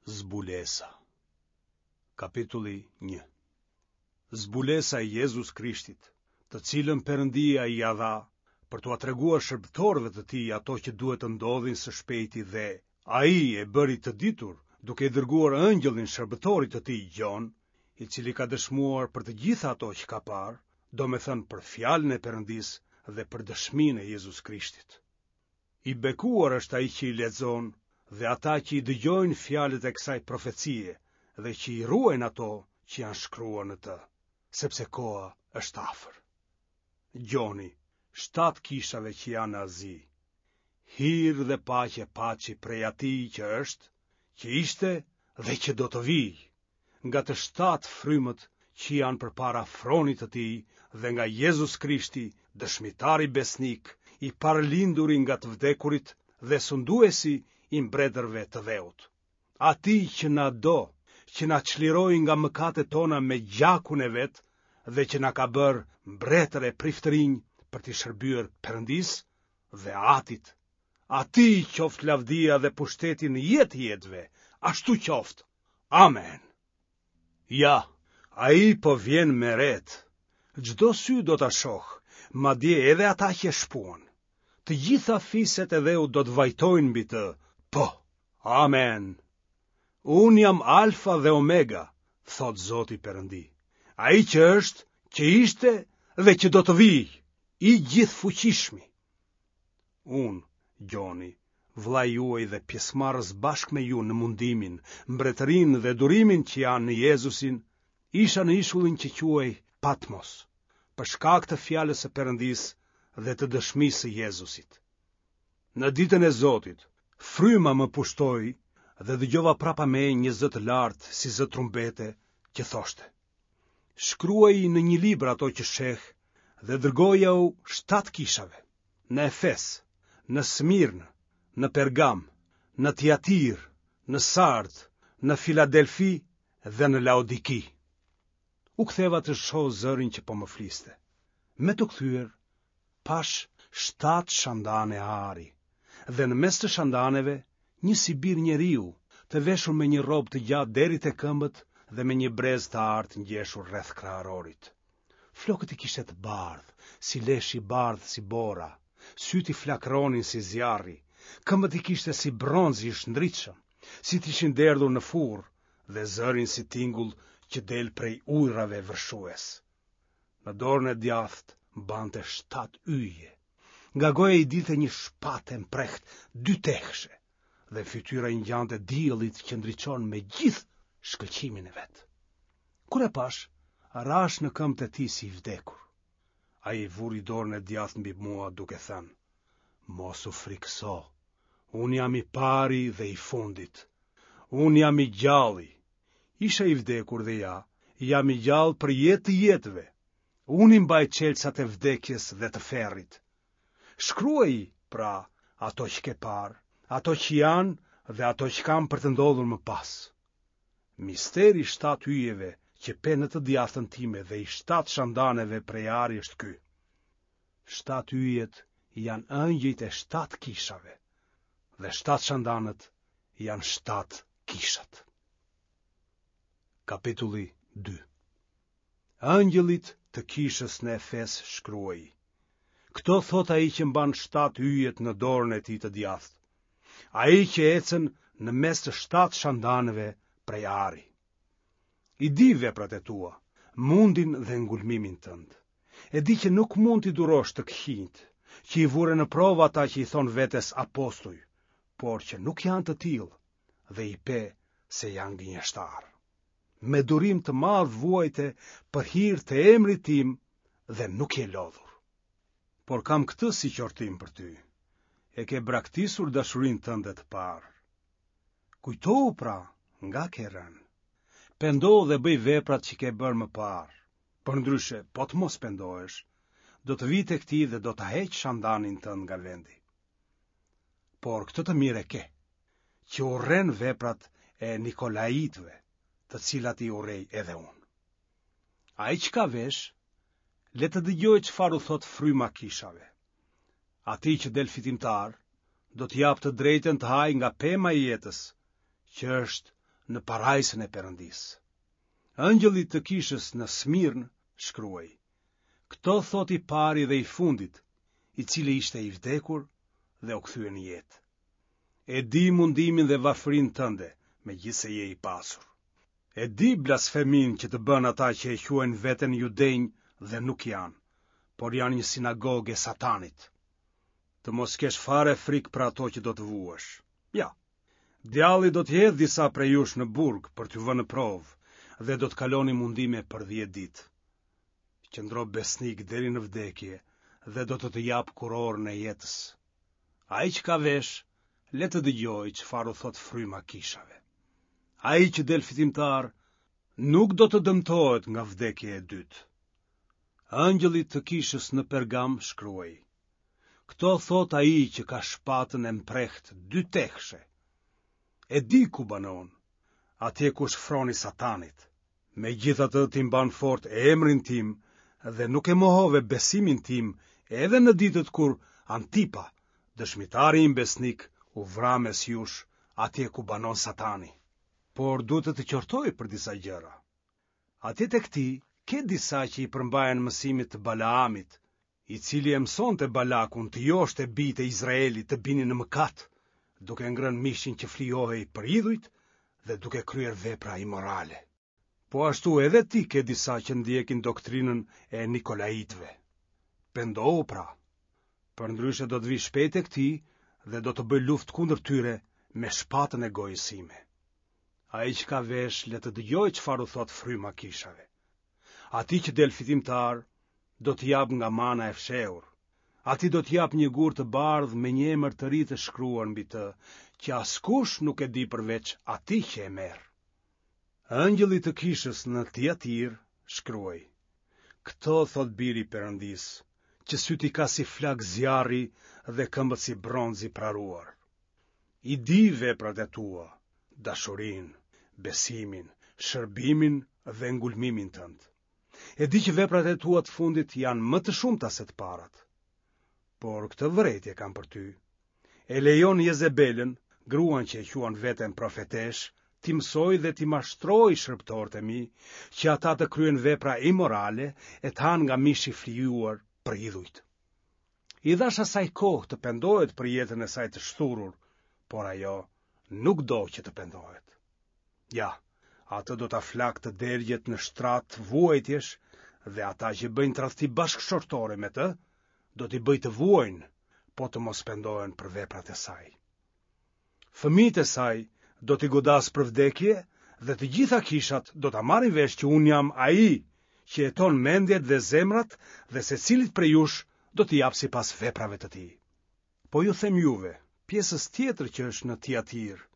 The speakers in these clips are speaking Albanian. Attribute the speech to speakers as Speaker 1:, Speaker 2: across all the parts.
Speaker 1: Zbulesa Kapitulli 1 Zbulesa e Jezus Krishtit, të cilën Perëndia ia dha për t'ua treguar shërbëtorëve të tij ato që duhet të ndodhin së shpejti dhe ai e bëri të ditur duke i dërguar engjëllin shërbëtorit të tij Gjon, i cili ka dëshmuar për të gjitha ato që ka parë, domethënë për fjalën e Perëndisë dhe për dëshminë e Jezus Krishtit. I bekuar është ai që i lexon dhe ata që i dëgjojnë fjalët e kësaj profecie dhe që i ruajnë ato që janë shkruar në të, sepse koha është afër. Gjoni, shtatë kishave që janë në Azi, hir dhe paqe paçi prej atij që është, që ishte dhe që do të vijë. nga të shtatë frymët që janë përpara fronit të tij dhe nga Jezus Krishti, dëshmitari besnik, i parëlinduri nga të vdekurit dhe sunduesi i mbretërve të dheut. Atij që na do, që na çliroi nga mëkatet tona me gjakun e vet dhe që na ka bërë mbretër e priftërinj për t'i shërbyer Perëndisë dhe Atit. Atij qoftë lavdia dhe pushteti në jetë të jetëve, ashtu qoftë. Amen. Ja, ai po vjen me retë. Çdo sy do ta shohë, madje edhe ata që e shpuan. Të gjitha fiset e dheut do të vajtojnë mbi të. Po. Amen. Unë jam Alfa dhe Omega, thotë Zoti Perëndi. Ai që është, që ishte dhe që do të vijë, i gjithëfuqishmi. Unë, Gjoni, vëllai juaj dhe pjesëmarrës bashkë me ju në mundimin, mbretërinë dhe durimin që janë në Jezusin, isha në ishullin që quhej Patmos, për shkak të fjalës së Perëndisë dhe të dëshmisë së Jezusit. Në ditën e Zotit, fryma më pushtoi dhe dëgjova prapa meje një zë të lartë si zë trumbete që thoshte: Shkruaji në një libër ato që sheh dhe dërgojau shtatë kishave. në Efes, në Smirnë, në Pergam, në Tiatirë, në Sardë, në Filadelfi dhe në Laodiki. U ktheva të shoh zërin që po më fliste. Me t'u kthyer, pashë shtatë shandane ari, dhe në mes të shandaneve një si bir njeriu, të veshur me një rrobë të gjatë deri te këmbët dhe me një brez të artë ngjeshur rreth kraharorit. Flokët i kishte të bardhë, si lesh i bardhë si bora, sytë i flakëronin si zjarri, këmbët i kishte si bronz i shndritshëm, si të ishin derdhur në furrë dhe zërin si tingull që del prej ujërave vërshues. Në dorën e djathtë mbante shtatë yje. Nga goja i dilte një shpatë e mprehtë dytehëshe dhe fytyra i ngjante diellit që ndriçon me gjithë shkëlqimin e vet. Kur e pashë, rashë në këmbët e tij si i vdekur. Ai vuri dorën e djathtë mbi mua duke thënë, Mos u frikëso, unë jam i pari dhe i fundit. Unë jam i gjalli. Isha i vdekur dhe ja, jam i gjallë për jetë të jetëve. Unë i mbaj çelësat e vdekjes dhe të ferrit. Shkruaji, pra, ato që ke parë, ato që janë dhe ato që kanë për të ndodhur më pas. Misteri i shtatë yjeve që pe në të djathtën time dhe i shtatë shandaneve prej ari është ky. Shtatë yjet janë ëngjëjt e shtatë kishave dhe shtatë shandanët janë shtatë kishat. Kapitulli 2 Ëngjëllit të kishës në Efes shkruaji. Këto thotë ai që mban shtatë yjet në dorën e tij të djathtë. Ai që ecën në mes të shtatë shandanëve prej ari. I di veprat e tua, mundin dhe ngulmimin tënd. E di që nuk mund t'i durosh të këqinjtë, që i vure në provë ata që i thonë vetes apostuj, por që nuk janë të tillë dhe i pe se janë gënjeshtarë. Me durim të madh vuajte për hir të emrit tim dhe nuk je lodhur. Por kam këtë si qortim për ty. E ke braktisur dashurinë tënde të parë. Kujtohu pra, nga ke rënë. Pendohu dhe bëj veprat që ke bërë më parë. Përndryshe, po të mos pendohesh, do të vij tek ti dhe do ta heq shandanin tënd nga vendi. Por këtë të mirë e ke, që urren veprat e Nikolaitëve, të cilat i urrej edhe unë. Ai që ka veshë, le të dëgjojë çfarë u thotë fryma kishave. Atij që del fitimtar, do t'i jap të drejtën të hajë nga pema e jetës, që është në parajsën e Perëndisë. Engjëllit të kishës në Smirnë shkruaj: Këto thotë i pari dhe i fundit, i cili ishte i vdekur dhe u kthye në jetë. E di mundimin dhe varfërinë tënde, megjithëse je i pasur. E di blasfeminë që të bënë ata që e quajnë veten judenj dhe nuk janë, por janë një sinagogë e Satanit. Të mos kesh fare frikë për ato që do të vuash. Ja, djalli do t'i hedhë disa prej jush në burg për t'ju vënë në provë dhe do të kaloni mundime për 10 ditë. Qëndro besnik deri në vdekje dhe do të të jap kurorën e jetës. Ai që ka vesh, le të dëgjojë çfarë u thotë fryma kishave. Ai që del fitimtar nuk do të dëmtohet nga vdekja e dytë. Engjëllit të kishës në Pergam shkruaj. Këto thotë ai që ka shpatën e mprehtë dytehëshe. E di ku banon, atje ku është froni i Satanit. Megjithatë ti mban fort emrin tim dhe nuk e mohove besimin tim edhe në ditët kur Antipa, dëshmitari im besnik, u vra mes jush, atje ku banon Satani. Por duhet të të qortoj për disa gjëra. Atje tek ti ke disa që i përmbahen mësimit të Balaamit, i cili e mësonte Balakun të joshte bijtë e Izraelit të binin në mëkat, duke ngrënë mishin që flijohej për idhujt dhe duke kryer vepra imorale. Po ashtu edhe ti ke disa që ndjekin doktrinën e Nikolaitëve. Pendohu pra. Përndryshe do të vij shpejt tek ti dhe do të bëj luftë kundër tyre me shpatën e gojës sime. Ai që ka vesh le të dëgjojë çfarë u thotë fryma kishave. Atij që del fitimtar, do t'i jap nga mana e fshehur. Atij do t'i jap një gur të bardhë me një emër të ri të shkruar mbi të, që askush nuk e di përveç atij që e merr. Engjëllit të kishës në Tiatirë shkruaj: Këto thotë biri i Perëndisë, që sytë i ka si flakë zjarri dhe këmbët si bronz i praruar. I di veprat e tua, dashurinë, besimin, shërbimin dhe ngulmimin tënd. E di që veprat e tua të fundit janë më të shumta se të parat. Por këtë vërejtje kam për ty. E lejon Jezebelën, gruan që e quan veten profeteshë, t'i mësojë dhe t'i mashtrojë shërbëtorët e mi, që ata të kryejnë vepra imorale e të hanë nga mishi i flijuar për idhujt. I dhashë asaj kohë të pendohet për jetën e saj të shthurur, por ajo nuk do që të pendohet. Ja, atë do ta flak të dergjet në shtrat vuajtjesh dhe ata që bëjnë tradhti bashkëshortore me të, do t'i bëj të vuajnë, po të mos pendohen për veprat e saj. Fëmijët e saj do t'i godas për vdekje dhe të gjitha kishat do ta marrin vesh që unë jam ai që heton mendjet dhe zemrat dhe secilit prej jush do t'i jap sipas veprave të tij. Po ju them juve, pjesës tjetër që është në Tiatirë,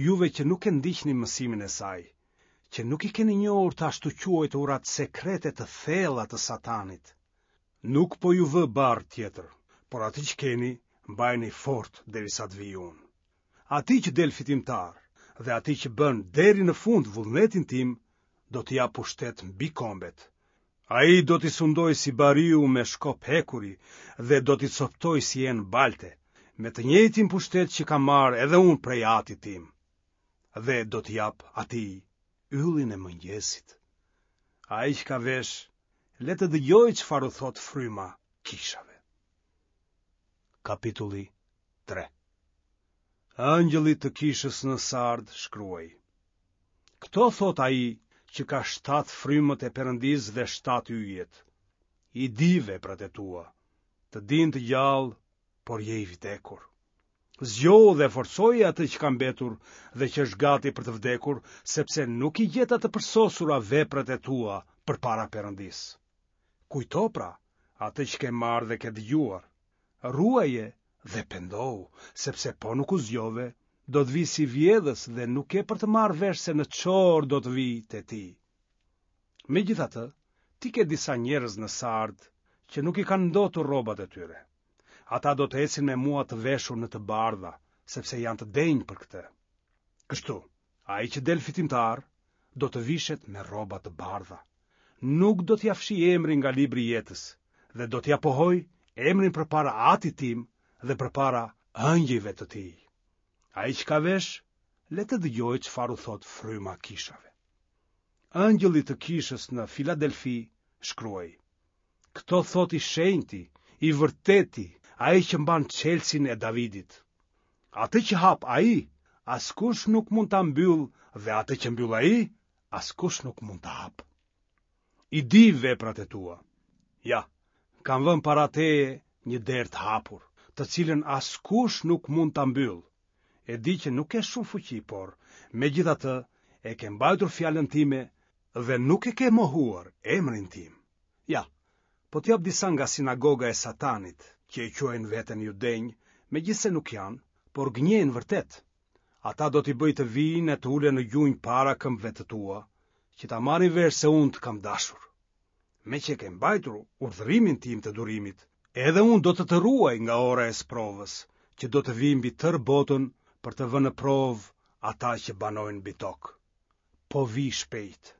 Speaker 1: juve që nuk e ndiqni mësimin e saj, që nuk i keni njohur të ashtuquajturat sekrete të thella të Satanit. Nuk po ju vë barrë tjetër, por atë që keni, mbajeni fort derisa të vij unë. Atij që del fitimtar dhe atij që bën deri në fund vullnetin tim, do t'i jap pushtet mbi kombet. Ai do t'i sundojë si bariu me shkop hekuri dhe do t'i copëtojë si enë balte, me të njëjtin pushtet që kam marrë edhe unë prej atit tim. Dhe do t'i jap atij yllin e mëngjesit. Ai që ka vesh, le të dëgjojë çfarë u thotë fryma kishave. Kapitulli 3 Engjëllit të kishës në Sard shkruaj. Këto thotë ai që ka shtatë frymët e Perëndisë dhe shtatë yjet. I di veprat e tua. Të din të gjallë, por je i vdekur. Zgjohu dhe forcoje atë që ka mbetur dhe që është gati për të vdekur, sepse nuk i gjeta të përsosura veprat e tua përpara Perëndisë. Kujto pra atë që ke marrë dhe ke dëgjuar. Ruaje dhe pendohu, sepse po nuk u zgjove, do të vij si vjedhës dhe nuk ke për të marrë vesh se në ç'orë do të vij te ti. Megjithatë, ti ke disa njerëz në Sard që nuk i kanë ndotur rrobat e tyre. Ata do të ecin me mua të veshur në të bardha, sepse janë të denjë për këtë. Kështu, ai që del fitimtar do të vishet me rroba të bardha. Nuk do t'ia fshij emrin nga libri i jetës dhe do t'ia pohoj emrin përpara Atit tim dhe përpara ëngjëjve të tij. Ai që ka vesh, le të dëgjojë çfarë u thotë Fryma kishave. Engjëllit të kishës në Filadelfi shkruaj: Këto thotë i shenjti, i vërteti, ai që mban çelësin e Davidit. Atë që hap ai, askush nuk mund ta mbyllë dhe atë që mbyll ai, askush nuk mund ta hapë. I di veprat e tua. Ja, kam vënë para teje një derë të hapur, të cilën askush nuk mund ta mbyllë. E di që nuk ke shumë fuqi, por megjithatë e ke mbajtur fjalën time dhe nuk e ke mohuar emrin tim. Ja, po të jap disa nga sinagoga e Satanit, që e quajnë veten judenj, megjithëse nuk janë, por gënjejnë vërtet. Ata do t'i bëj të vijnë e të ulen në gjunjë para këmbëve të tua, që ta marrin vesh se unë të kam dashur. Meqë e ke mbajtur urdhërimin tim të durimit, edhe unë do të të ruaj nga ora e sprovës, që do të vijë mbi tërë botën për të vënë në provë ata që banojnë mbi tokë. Po vij shpejt.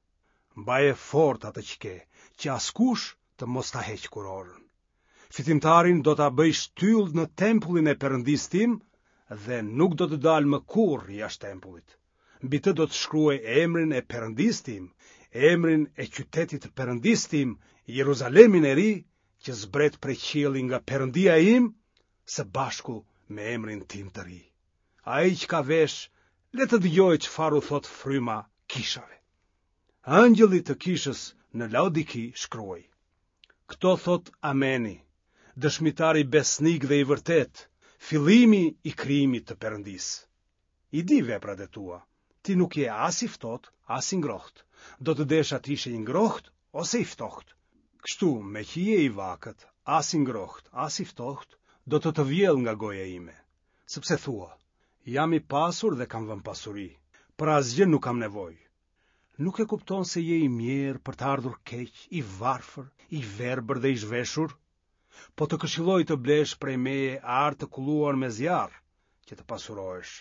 Speaker 1: Mbaje fort atë që ke, që askush të mos ta heqë kurorën. Fitimtarin do ta bëj shtyllë në tempullin e Perëndisë tim dhe nuk do të dalë më kurrë jashtë tempullit. Mbi të do të shkruaj emrin e Perëndisë tim, emrin e qytetit të Perëndisë tim, Jeruzalemin e ri, që zbret prej qielli nga Perëndia im, së bashku me emrin tim të ri. Ai që ka vesh, le të dëgjojë çfarë u thotë fryma kishave. Engjëllit të kishës në Laodiki shkruaj. Këto thotë Ameni, dëshmitari besnik dhe i vërtetë, fillimi i krijimit të Perëndisë. I di veprat e tua, ti nuk je as i ftohtë, as i ngrohtë. Do të desha të ishe i ngrohtë ose i ftohtë. Kështu, meqë je i vakët, as i ngrohtë, as i ftohtë, do të të vjell nga goja ime. Sepse thua, jam i pasur dhe kam vënë pasuri, për asgjë nuk kam nevojë. Nuk e kupton se je i mjerë për të ardhur keq, i varfër, i verbër dhe i zhveshur? Po të këshilloj të blesh prej meje ar të kulluar me zjarr, që të pasurohesh,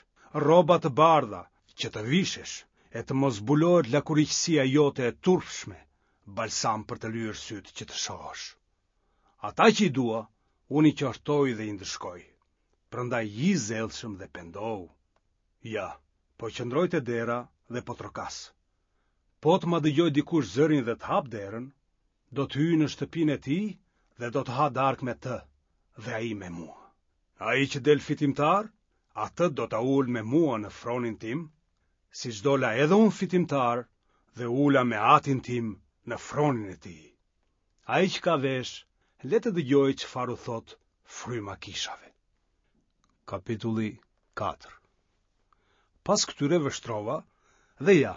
Speaker 1: rroba të bardha, që të vishesh, e të mos zbulohet lakuriqësia jote e turpshme, balsam për të lyer sytë që të shohësh. Ata që i dua, unë i qortoj dhe i ndëshkoj. Prandaj ji i zellshëm dhe pendohu. Ja, po qëndroj te dera dhe po trokas. Po të ma dëgjojë dikush zërin dhe të hapë derën, do të hyj në shtëpinë e tij dhe do të ha darkë me të dhe ai me mua. Ai që del fitimtar, atë do ta ul me mua në fronin tim, siç dola edhe unë fitimtar dhe u ula me atin tim në fronin e tij. Ai që ka vesh, le të dëgjojë çfarë u thotë fryma kishave. Kapitulli 4 Pas këtyre vështrova dhe ja,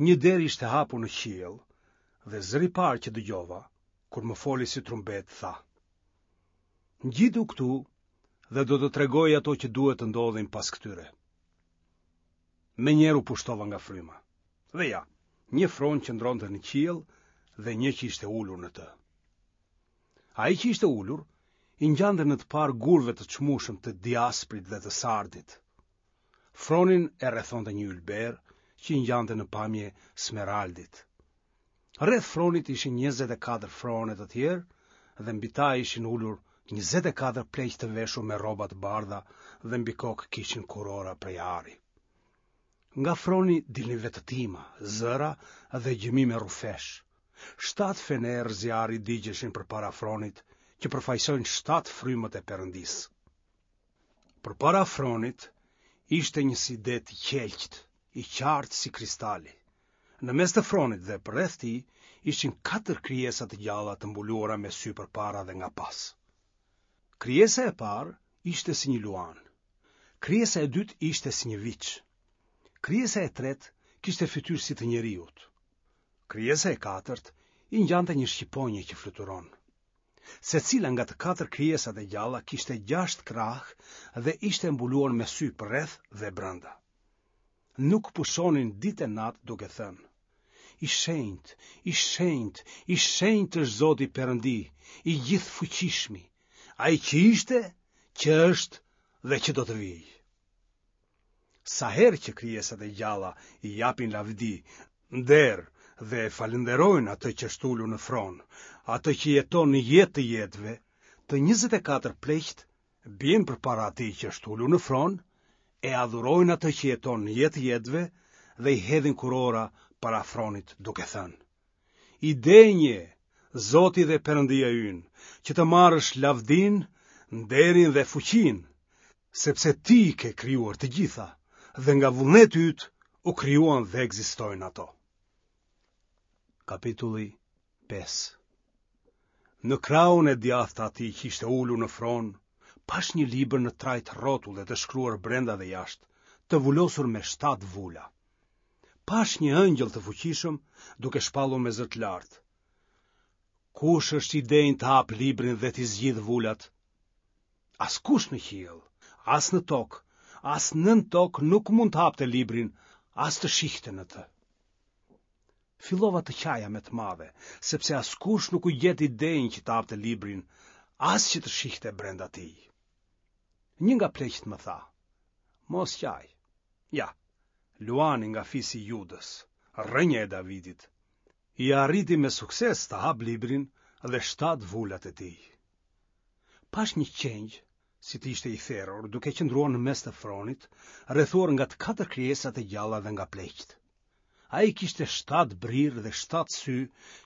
Speaker 1: një derë ishte hapur në qiell dhe zëri i parë që dëgjova, kur më foli si trumbetë, tha: Ngjitu këtu dhe do të tregoj ato që duhet të ndodhin pas këtyre. Menjëherë u pushtova nga fryma. Dhe ja, një fron qëndronte në qiell dhe një që ishte ulur në të. Ai që ishte ulur, i ngjante në të parë gurëve të çmueshëm të diasprit dhe të sardit. Fronin e rrethonte një ylber që i ngjante në pamje smeraldit. Rreth fronit ishin 24 frone të tjerë dhe mbi ta ishin ulur 24 pleq të veshur me rroba të bardha dhe mbi kokë kishin kurora prej ari. Nga froni dilnin vetëtima, zëra dhe gjëmime rrufesh. Shtatë fenerë zjarri digjeshin përpara fronit, që përfaqësojnë shtatë frymët e Perëndisë. Përpara fronit ishte një si det i qelqtë, i qartë si kristali. Në mes të fronit dhe përreth tij ishin katër krijesa të gjalla të mbuluara me sy përpara dhe nga pas. Krijesa e parë ishte si një luan. Krijesa e dytë ishte si një viç. Krijesa e tretë kishte fytyrë si të njeriut. Krijesa e katërt i ngjante një shqiponje që fluturon. Secila nga të katër krijesat e gjalla kishte gjashtë krahë dhe ishte mbuluar me sy përreth dhe brenda. Nuk pushonin ditë e natë duke thënë: I shenjtë, i shenjtë, i shenjtë është Zoti Perëndi, i gjithëfuqishmi, ai që ishte, që është dhe që do të vijë. Sa herë që krijesat e gjalla i japin lavdi, nder dhe e falënderojnë atë që është ulur në fron, atë që jeton në jetë të jetëve, të 24 pleqtë bien përpara atij që është ulur në fron. E adhurojnë atë që jeton në jetë të jetëve dhe i hedhin kurora para fronit duke thënë: I denjë je, Zoti dhe Perëndia ynë, që të marrësh lavdinë, nderin dhe fuqinë, sepse ti i ke krijuar të gjitha dhe nga vullneti yt u krijuan dhe ekzistojnë ato. Kapitulli 5 Në krahun e djathtë të atij që ishte ulur në fron, pashë një libër në trajtë rrotulle të shkruar brenda dhe jashtë, të vulosur me shtatë vula. Pashë një ëngjëll të fuqishëm duke shpallur me zë të lartë. Kush është i denjë të hapë librin dhe t'i zgjidhë vulat? Askush në qiell, as në tokë, as nën tokë nuk mund të hapte librin, as të shihte në të. Fillova të qaja me të madhe, sepse askush nuk u gjet i denjë që të hapte librin, as që të shihte brenda tij. Një nga pleqtë më tha, mos qaj, ja, luani nga fisi i Judës, rrënja e Davidit, ia arriti me sukses të hapë librin dhe shtatë vulat e tij. Pashë një qengj, si të ishte i therur, duke qëndruar në mes të fronit, rrethuar nga të katër krijesat e gjalla dhe nga pleqtë. Ai kishte shtatë brirë dhe shtatë sy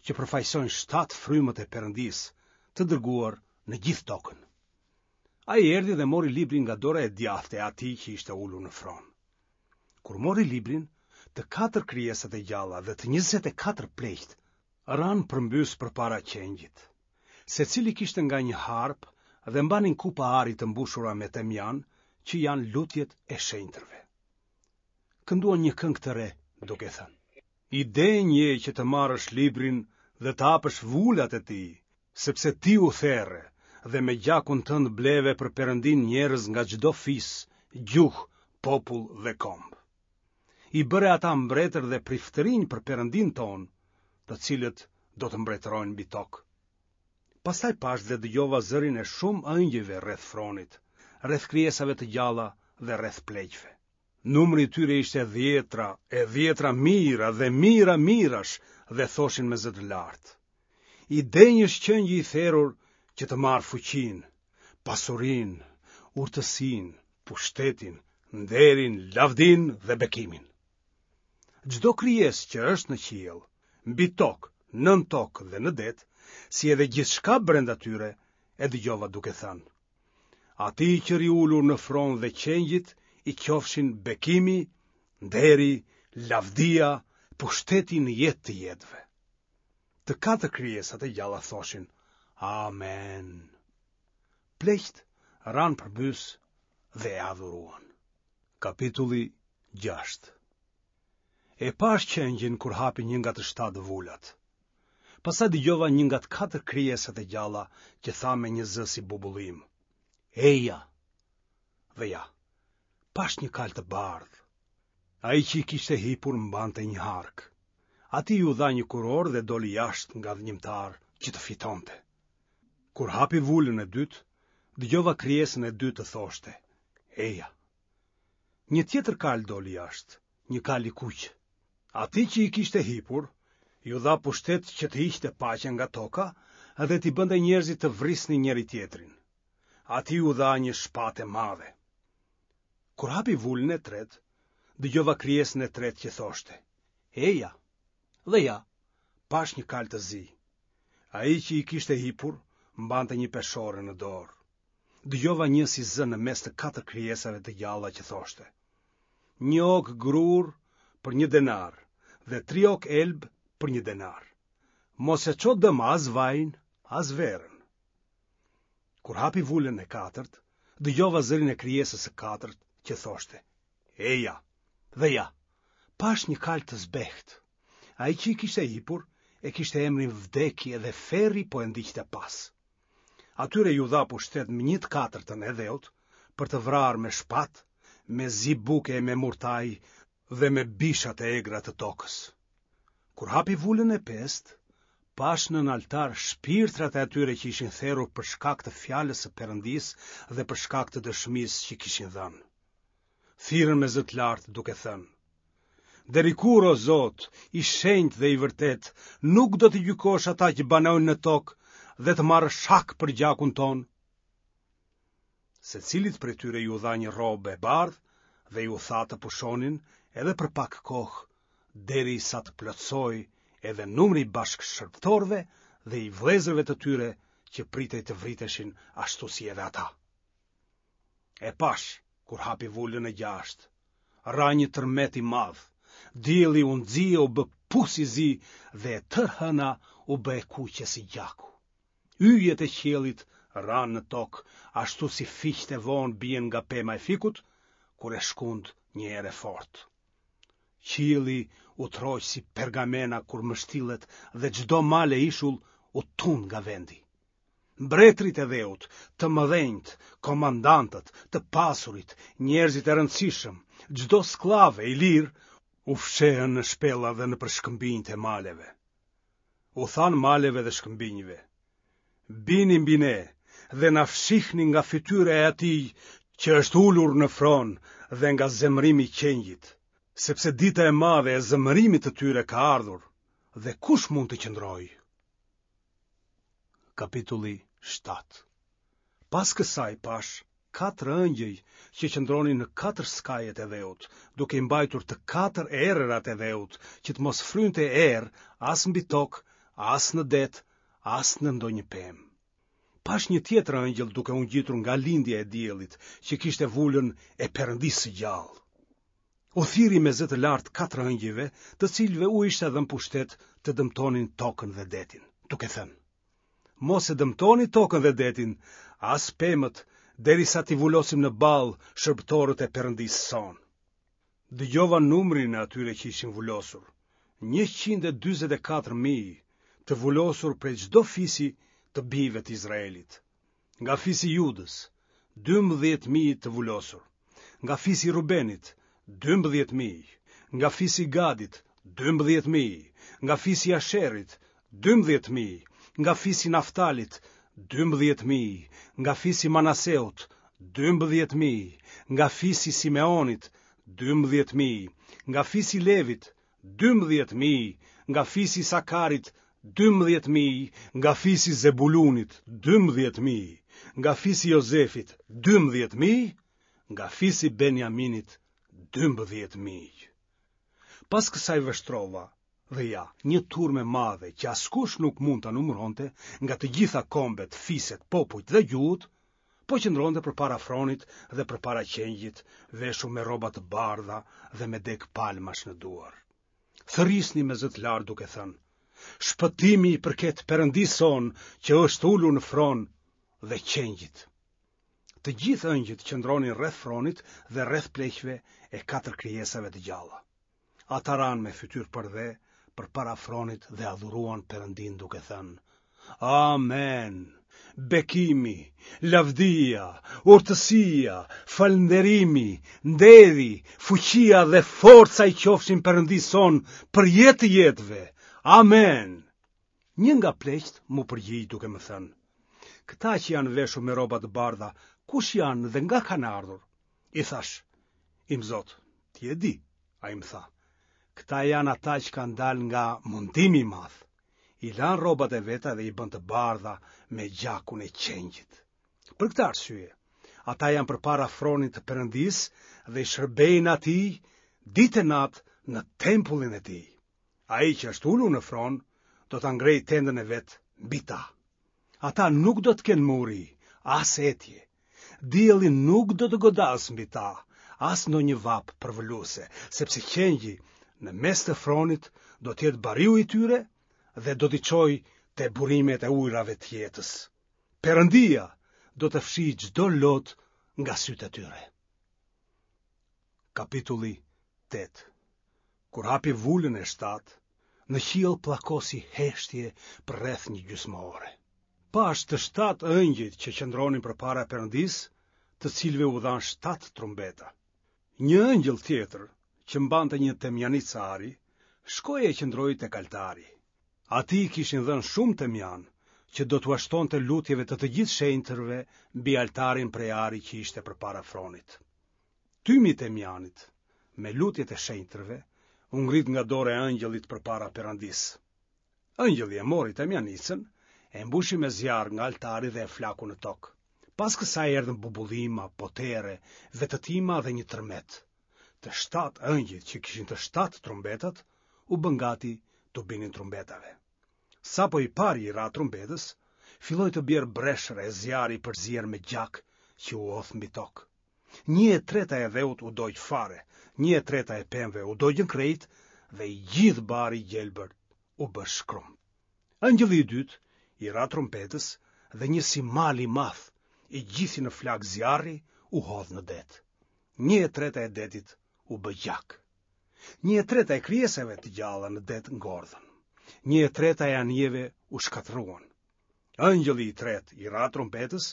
Speaker 1: që përfaqësojnë shtatë frymët e Perëndisë, të dërguar në gjithë tokën. Ai erdhi dhe mori librin nga dora e djathtë e atij që ishte ulur në fron. Kur mori librin, të katër krijesat e gjalla dhe të 24 pleqtë ranë përmbys përpara qengjit. Secili kishte nga një harpë dhe mbanin kupa ari të mbushura me temjan, që janë lutjet e shenjtërve. Kënduan një këngë të re, duke thënë: I denjë je që të marrësh librin dhe të hapësh vulat e tij, sepse ti u there dhe me gjakun tënd bleve për Perëndinë njerëz nga çdo fis, gjuhë, popull dhe komb. I bëre ata mbretër dhe priftërinj për Perëndinë tonë, të cilët do të mbretërojnë mbi tokë. Pastaj pashë dhe dëgjova zërin e shumë ëngjëjve rreth fronit, rreth krijesave të gjalla dhe rreth pleqve. Numri i tyre ishte dhjetra e dhjetra mijëra dhe mijëra mijërash dhe thoshin me zë të lartë. I denjë është qengji i therur që të marrë fuqinë, pasurinë, urtësinë, pushtetin, nderin, lavdinë dhe bekimin. Çdo krijesë që është në qiell, mbi tokë, nën tokë dhe në det, si edhe gjithçka brenda tyre, e dëgjova duke thënë: Atij që rri ulur në fron dhe qengjit i qofshin bekimi, nderi, lavdia, pushteti në jetë të jetëve. Të katër krijesat e gjalla thoshin: Amen. Pleqtë ranë përbys dhe e adhuruan. Kapitulli 6 E pashë qengjin kur hapi një nga të shtatë vulat. Pastaj dëgjova një nga të katër krijesat e gjalla që tha me një zë si bubullimë. Eja! Dhe ja, pashë një kalë të bardhë. Ai që i kishte hipur mbante një hark. Atij iu dha një kurorë dhe doli jashtë ngadhënjimtar që të fitonte. Kur hapi vulën e dytë, dëgjova krijesën e dytë të thoshte, Eja! Një tjetër kalë doli jashtë, një kalë i kuq. Atij që i kishte hipur, iu dha pushtet që të hiqte paqen nga toka dhe t'i bënte njerëzit të vrisnin njëri-tjetrin. Atij iu dha një shpatë e madhe. Kur hapi vulën e tretë, dëgjova krijesën e tretë që thoshte: Eja. Dhe ja, pashë një kalë të zi. Ai që i kishte hipur mbante një peshore në dorë. Dëgjova një si zë në mes të katër krijesave të gjalla që thoshte: Një okë grurë për një denar dhe tri okë elb për një denar. Mos e ço dëm as vajin, as verën. Kur hapi vulën e katërt, dëgjova zërin e krijesës së katërt që thoshte: Eja. Dhe ja, pashë një kalë të zbehtë. Ai që i kishte hipur e kishte emrin Vdekje dhe ferri po e ndiqte pas. Atyre iu dha pushtet mbi një të katërtën e dheut për të vrarë me shpatë, me zi buke e me murtajë dhe me bishat e egra të tokës. Kur hapi vulën e pestë, pashë nën altar shpirtrat e atyre që ishin therur për shkak të fjalës së Perëndisë dhe për shkak të dëshmisë që kishin dhënë. Thirrën me zë të lartë duke thënë: Deri kur, o Zot, i shenjtë dhe i vërtetë, nuk do t'i gjykosh ata që banojnë në tokë dhe të marrësh hak për gjakun tonë? Secilit prej tyre iu dha një rrobë e bardhë dhe iu tha të pushonin edhe për pak kohë, derisa të plotësohej edhe numri i bashkëshërbëtorëve dhe i vëllezërve të tyre që pritej të vriteshin ashtu si edhe ata. E pashë, kur hapi vulën e gjashtë, ra një tërmet i madh, dielli u nxi e u bë pus i zi dhe e tërë hëna u bë e kuqe si gjaku. Yjet e qiellit ranë në tokë, ashtu si fiqtë e vonë bien nga pema e fikut, kur e shkund një erë e fortë. Qielli u tërhoq si pergamena kur mbështillet dhe çdo mal e ishull u tund nga vendi. Mbretërit e dheut, të mëdhenjtë, komandantët, të pasurit, njerëzit e rëndësishëm, çdo skllav e i lirë, u fshehën në shpella dhe nëpër shkëmbinjtë e maleve. U thanë maleve dhe shkëmbinjve, Bini mbi ne dhe na fshihni nga fytyra e atij që është ulur në fron dhe nga zemërimi i qengjit, sepse dita e madhe e zemërimit të tyre ka ardhur dhe kush mund të qëndrojë? Kapitulli 7 Pas kësaj pashë katër ëngjëj që qëndronin në katër skajet e dheut, duke i mbajtur të katër erërat e dheut, që të mos frynte erë as mbi tokë, as në det, as në ndonjë pemë. Pashë një tjetër ëngjëll duke u ngjitur nga lindja e diellit, që kishte vulën e Perëndisë së gjallë. U thirri me zë të lartë katër ëngjëjve, të cilëve u ishte dhënë pushtet të dëmtonin tokën dhe detin, duke thënë: Mos e dëmtoni tokën dhe detin, as pemët, derisa t'i vulosim në ballë shërbëtorët e Perëndisë sonë. Dëgjova numrin e atyre që ishin vulosur, 144.000, të vulosur prej çdo fisi të bijve të Izraelit. Nga fisi i Judës, 12.000 të vulosur. Nga fisi i Rubenit, 12.000. Nga fisi i Gadit, 12.000. Nga fisi i Asherit, 12.000. Nga fisi i Naftalit, 12.000. Nga fisi i Manaseut, 12.000. Nga fisi i Simeonit, 12.000. Nga fisi i Levit, 12.000, nga fisi i Isakarit, 12.000, nga fisi i Zebulunit, 12.000, nga fisi i Jozefit, 12.000, nga fisi i Benjaminit, 12.000. Pas kësaj vështrova, dhe ja, një turmë e madhe që askush nuk mund ta numëronte, nga të gjitha kombet, fiset, popujt dhe gjuhët, po qëndronte përpara fronit dhe përpara qengjit, veshur me rroba të bardha dhe me degë palmash në duar. Thërrisnin me zë të lartë duke thënë: Shpëtimi i përket Perëndisë sonë që është ulur në fron dhe qengjit. Të gjithë ëngjëjt qëndronin rreth fronit dhe rreth pleqve e katër krijesave të gjalla. Ata ranë me fytyrë përdhe përpara fronit dhe adhuruan Perëndinë duke thënë: Amen. Bekimi, lavdia, urtësia, falënderimi, nderi, fuqia dhe forca i qofshin Perëndisë sonë për jetë të jetëve. Amen. Një nga pleqtë m'u përgjigj duke më thënë: Këta që janë veshur me rroba të bardha, kush janë dhe nga kanë ardhur? I thashë, Imzot, ti e di, ai më tha. Këta janë ata që kanë dalë nga mundimi i madh. I lanë rrobat e veta dhe i bënë të bardha me gjakun e qengjit. Për këtë arsye, ata janë përpara fronit të Perëndisë dhe i shërbejnë atij ditë e natë në tempullin e tij. Ai që është ulur në fron do ta ngrejë tendën e vet mbi ta. Ata nuk do të kenë më uri, as etje. Dielli nuk do të godasë mbi ta, as ndonjë vapë përvëluese, sepse qengji në mes të fronit do të jetë bariu i tyre dhe do t'i çojë te burimet e ujërave të jetës. Perëndia do të fshijë çdo lot nga sytë e tyre. Kapitulli 8 Kur hapi vulën e shtatë, në qiell pllakosi heshtje për rreth një gjysmë ore. Pashë të shtatë ëngjëjt që qëndronin përpara Perëndisë, të cilëve u dhanë shtatë trumbeta. Një ëngjëll tjetër, që mbante një temjanicë ari, shkoi e qëndroi tek altari. Atij i kishin dhënë shumë temjan, që do t'ua shtonte lutjeve të të gjithë shenjtërve mbi altarin prej ari që ishte përpara fronit. Tymi i temjanit, me lutjet e shenjtërve, u ngrit nga dora e ëngjëllit përpara Perëndisë. Ëngjëlli e mori temjanicën, e mbushi me zjarr nga altari dhe e flaku në tokë. Pas kësaj erdhën bubullima, potere, vetëtima dhe një tërmet. Të shtatë engjëjt që kishin të shtatë trumbetat, u bënë gati t'u binin trumbetave. Sapo i pari i ra trumbetës, filloi të bjerë breshër e zjarr i përzier me gjak që u hodh mbi tokë. Një e treta e dheut u dogj fare, një e treta e pemëve u dogjën krejt dhe i gjithë bari i gjelbër u bë shkrumb. Engjëlli i dytë i ra trumbetës dhe një si mal i madh, i gjithi në flakë zjarri, u hodh në det. Një e treta e detit u bë gjak. Një e treta e krijesave të gjalla në det ngordhën. Një e treta e anijeve u shkatërruan. Engjëlli i tretë i ra trumbetës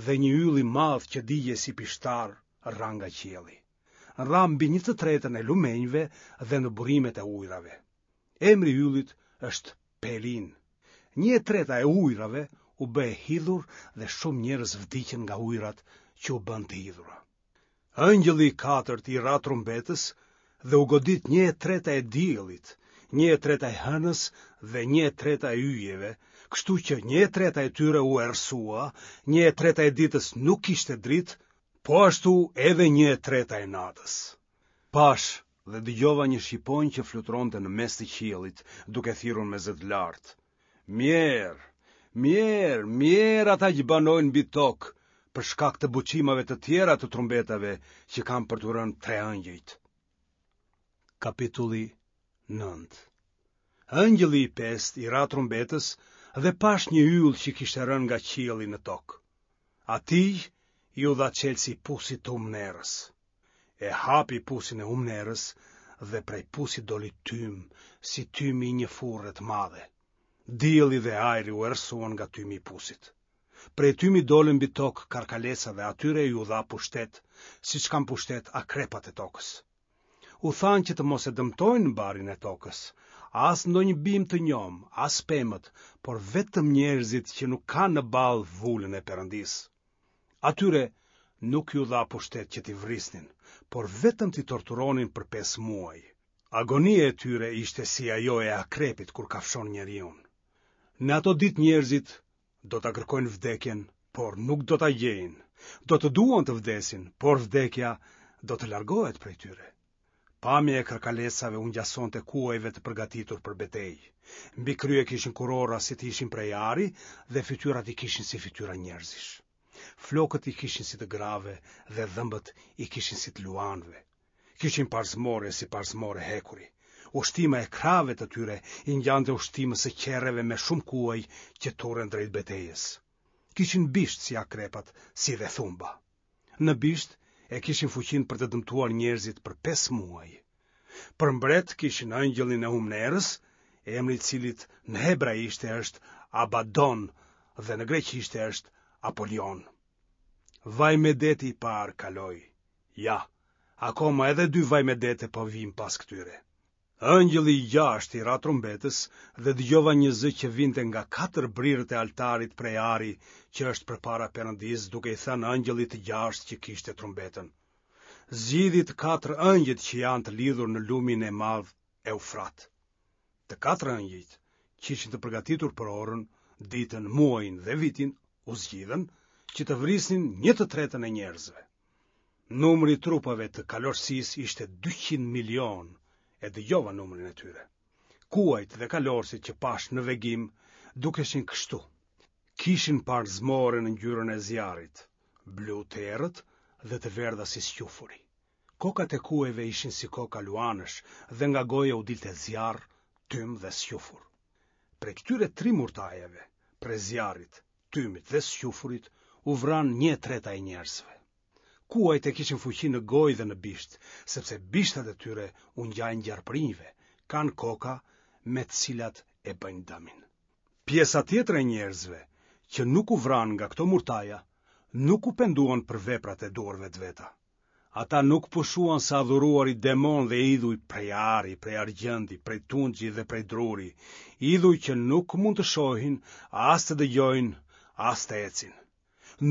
Speaker 1: dhe një yll i madh që digjej si pishtar ra nga qielli. Ra mbi një të tretën e lumenjve dhe në burimet e ujërave. Emri i yllit është Pelin. Një e treta e ujërave u bë e hidhur dhe shumë njerëz vdiqën nga ujërat që u bënë të hidhura. Engjëlli i katërt i ra trumbetës dhe u godit një e treta e diellit, një e treta e hënës dhe një e treta e yjeve, kështu që një e treta e tyre u errësua, një e treta e ditës nuk kishte dritë, po ashtu edhe një e treta e natës. Pashë dhe dëgjova një shqiponjë që fluturonte në mes të qiellit, duke thirrur me zë të lartë. Mjerë, mjerë, mjerë ata që banojnë mbi tokë, për shkak të buçimave të tjera të trumbetave që kanë për t'u rënë tre engjëjt. Kapitulli 9 Engjëlli i pestë i ra trumbetës dhe pashë një yll që kishte rënë nga qielli në tokë. Atij iu dha çelësi i pusit të humnerës. E hapi pusin e humnerës dhe prej pusit doli tym, si tymi i një furre të madhe. Dielli dhe ajri u errësuan nga tymi i pusit. Prej tymit dolën mbi tokë karkaleca dhe atyre iu dha pushtet, siç kanë pushtet akrepat e tokës. U thanë që të mos e dëmtojnë barin e tokës, as ndonjë bimë të njomë, as pemët, por vetëm njerëzit që nuk kanë në ballë vulën e Perëndisë. Atyre nuk iu dha pushtet që t'i vrisnin, por vetëm t'i torturonin për pesë muaj. Agonia e tyre ishte si ajo e akrepit kur kafshon njeriun. Në ato ditë njerëzit do ta kërkojnë vdekjen, por nuk do ta gjejnë. Do të duan të vdesin, por vdekja do të largohet prej tyre. Pamja e karkalecave u ngjasonte kuajve të përgatitur për betejë. Mbi krye kishin kurora si të ishin prej ari dhe fytyrat i kishin si fytyra njerëzish. Flokët i kishin si të grave dhe dhëmbët i kishin si të luanëve. Kishin parzmore si parzmore hekuri. Ushtima e krahëve të tyre i ngjante ushtimës së qerreve me shumë kuaj që turren drejt betejës. Kishin bisht si akrepat, si dhe thumba. Në bisht e kishin fuqinë për të dëmtuar njerëzit për pesë muaj. Për mbret kishin engjëllin e humnerës, emri i të cilit në hebraishte është Abaddon dhe në greqishte është Apolion. Vajmedeti i parë kaloi. Ja, akoma edhe dy vajmedete po vijnë pas këtyre. Engjëlli i gjashtë i ra trumbetës dhe dëgjova një zë që vinte nga katër brirët e altarit prej ari që është përpara Perëndisë duke i thënë engjëllit të gjashtë që kishte trumbetën. Zgjidhi të katër engjëjt që janë të lidhur në lumin e madh Eufrat. Të katër engjëjt që ishin të përgatitur për orën, ditën, muajin dhe vitin u zgjidhën që të vrisnin një të tretën e njerëzve. Numri i trupave të kalorësisë ishte 200 milionë, e dëgjova numrin e tyre. Kuajt dhe kalorësit që pashë në vegim dukeshin kështu. Kishin parzmore në ngjyrën e zjarrit, blu të errët dhe të verdha si squfuri. Kokat e kuajve ishin si koka luanësh dhe nga goja u dilte zjarr, tym dhe squfur. Prej këtyre tri murtajave, prej zjarrit, tymit dhe squfurit u vranë një e treta e njerëzve. Kuajt e kishin fuqinë në gojë dhe në bisht, sepse bishtat e tyre u ngjajnë gjarpërinjve, kanë koka me të cilat e bëjnë dëmin. Pjesa tjetër e njerëzve që nuk u vranë nga këto murtaja, nuk u penduan për veprat e duarve të veta. Ata nuk pushuan së adhuruari demonë dhe idhuj prej ari, prej argjendi, prej tunxhi dhe prej druri, idhuj që nuk mund të shohin, as të dëgjojnë, as të ecin.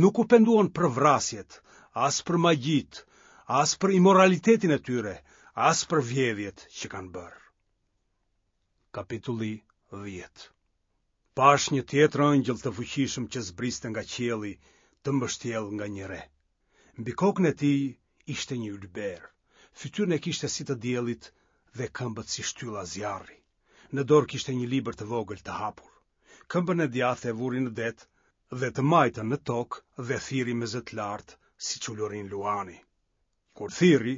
Speaker 1: Nuk u penduan për vrasjet, as për magjitë, as për imoralitetin e tyre, as për vjedhjet që kanë bërë. Kapitulli 10 Pashë një tjetër engjëll të fuqishëm që zbriste nga qielli të mbështjellë nga një re. Mbi kokën e tij ishte një ylber. Fytyrën e kishte si të diellit dhe këmbët si shtylla zjarri. Në dorë kishte një libër të vogël të hapur. Këmbën e djathtë e vuri në det dhe të majtën në tokë dhe thirri me zë të lartë siç ulërin luani. Kur thirri,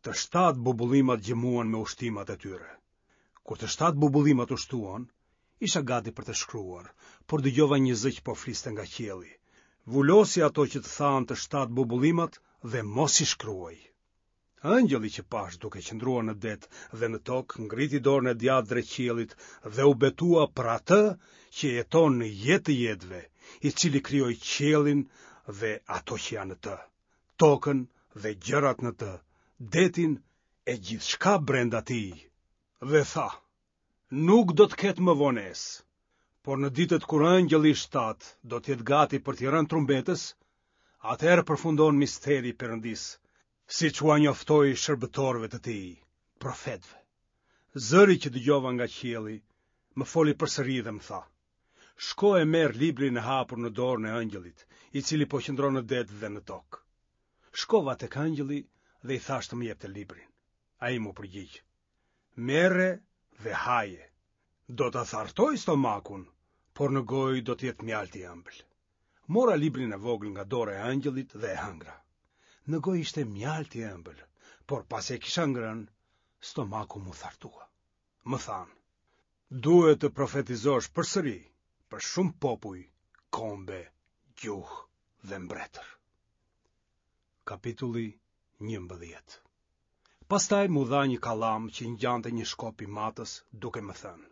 Speaker 1: të shtatë bubullimat gjëmuan me ushtimat e tyre. Kur të shtatë bubullimat ushtuan, isha gati për të shkruar, por dëgjova një zë që po fliste nga qielli. Vulosi ato që të thanë të shtatë bubullimat dhe mos i shkruaj. Ëngjëlli që pashë duke qëndruar në det dhe në tokë ngriti dorën e djathtë drejt qiellit dhe u betua për atë që jeton në jetë të jetëve, i cili krijoi qiellin dhe ato që janë në të, tokën dhe gjërat në të, detin e gjithçka brenda tij. Dhe tha, nuk do të ketë më vonesë, por në ditët kur ëngjëlli i shtatë do të jetë gati për t'i rënë trumbetës, atëherë përfundon misteri i Perëndisë, siç ua njoftoi shërbëtorëve të tij, profetëve. Zëri që dëgjova nga qielli më foli përsëri dhe më tha: Shko e merr librin e hapur në dorën e ëngjëllit, i cili po qëndron në det dhe në tokë. Shkova tek ëngjëlli dhe i thashë të më jepte librin. Ai m'u përgjigj: Merre dhe haje. Do ta thartojë stomakun, por në gojë do të jetë mjaltë i ëmbël. Mora librin e vogël nga dora e ëngjëllit dhe e hëngra. Në gojë ishte mjaltë i ëmbël, por pasi e kisha ngrënë, stomaku m'u thartua. Më thanë, duhet të profetizosh përsëri për shumë popuj, kombe, gjuhë dhe mbretër. Kapitulli 11 Pastaj m'u dha një kallam që i ngjante një shkopi matës duke më thënë.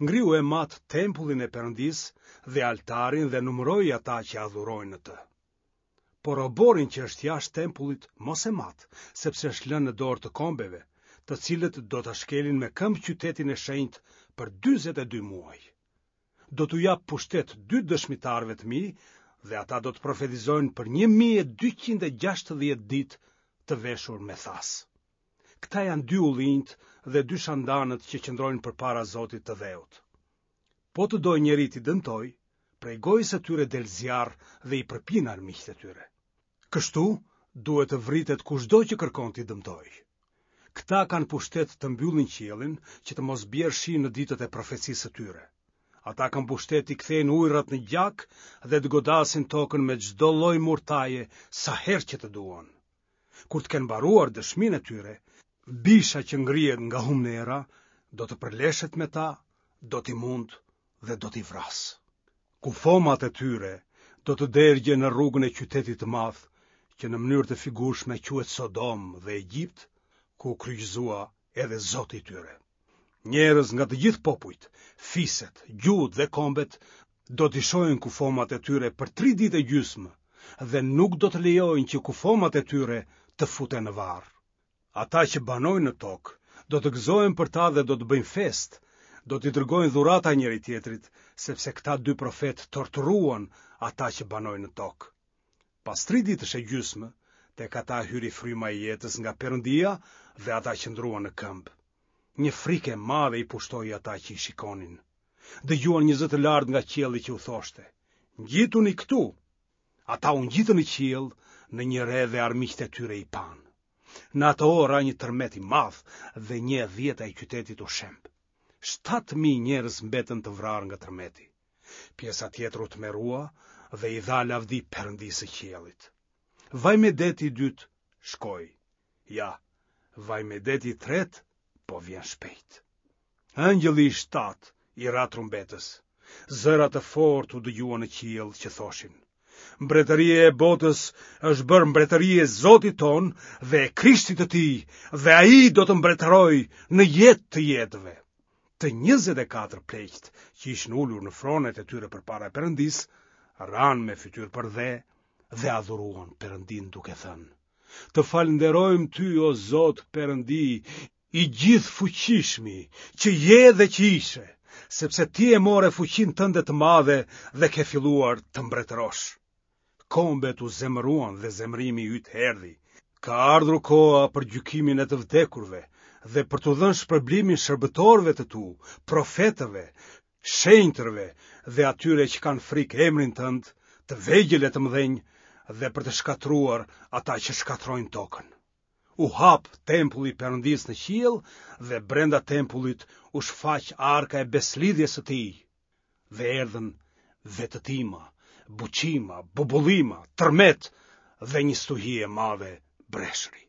Speaker 1: Ngrihu e mat tempullin e Perëndisë dhe altarin dhe numëroji ata që adhurojnë në të. Por oborrin që është jashtë tempullit mos e mat, sepse është lënë në dorë të kombeve, të cilët do ta shkelin me këmbë qytetin e shenjtë për 42 muaj. Do t'u jap pushtet dy dëshmitarëve të mi dhe ata do të profetizojnë për 1260 ditë të veshur me thasë. Këta janë dy ullinjtë dhe dy shandanët që qëndrojnë përpara Zotit të dheut. Po të dojë njeri t'i dëmtojë, prej gojës së tyre del zjarr dhe i përpin armiqtë e tyre. Kështu, duhet të vritet kushdo që kërkon t'i dëmtojë. Këta kanë pushtet të mbyllin qiellin që të mos bjerë shi në ditët e profecisë së tyre. Ata kanë pushtet t'i kthejnë ujërat në gjak dhe të godasin tokën me çdo lloj murtaje sa herë që të duan. Kur të kenë mbaruar dëshminë e tyre, bisha që ngrihet nga humnera do të përleshet me ta, do t'i mundë dhe do t'i vrasë. Kufomat e tyre do të dergjen në rrugën e qytetit të madh, që në mënyrë të figurshme quhet Sodomë dhe Egjipt, ku u kryqëzua edhe Zoti i tyre. Njerëz nga të gjithë popujt, fiset, gjuhët dhe kombet do t'i shohin kufomat e tyre për tri ditë e gjysmë dhe nuk do të lejojnë që kufomat e tyre të futen në varr. Ata që banojnë në tokë do të gëzohen për ta dhe do të bëjnë festë, do t'i dërgojnë dhurata njëri-tjetrit, sepse këta dy profetë torturuan ata që banojnë në tokë. Pas tri ditësh e gjysmë, tek ata hyri fryma e jetës nga Perëndia dhe ata qëndruan në këmbë. Një frikë e madhe i pushtoi ata që i shikonin. Dëgjuan një zë të lartë nga qielli që u thoshte: "Ngjituni këtu." Ata u ngjitën në qiell në një re dhe armiqtë e tyre i panë. Në atë orë ra një tërmet i madh dhe një e dhjeta e qytetit u shemb. 7000 njerëz mbetën të vrarë nga tërmeti. Pjesa tjetër u tmerrua dhe i dha lavdi Perëndisë së qiellit. Vajmedeti i dytë shkoi. Ja, vajmedeti i tretë po vjen shpejt. Ëngjëlli i shtatë i ra trumbetës. Zëra të fortë u dëgjuan në qiell që thoshin: Mbretëria e botës është bërë mbretëri e Zotit tonë dhe e Krishtit të tij, dhe ai do të mbretërojë në jetë të jetëve. Të 24 pleqtë që ishin ulur në fronet e tyre përpara Perëndisë, ranë me fytyrë përdhe dhe adhuruan Perëndinë duke thënë: Të falënderojmë ty o Zot Perëndi, i gjithëfuqishmi, që je dhe që ishe, sepse ti e more fuqinë tënde të madhe dhe ke filluar të mbretërosh. Kombet u zemëruan dhe zemërimi yt erdhi. Ka ardhur koha për gjykimin e të vdekurve dhe për t'u dhënë shpërblimin shërbëtorëve të tu, profetëve, shenjtërve dhe atyre që kanë frikë emrin tënd, të vegjël e të mëdhenj, dhe për të shkatërruar ata që shkatërrojnë tokën. U hap tempulli i Perëndisë në qiell dhe brenda tempullit u shfaq arka e besëlidhjes së tij. Dhe erdhën vetëtima, buçima, bubullima, tërmet dhe një stuhi e madhe breshëri.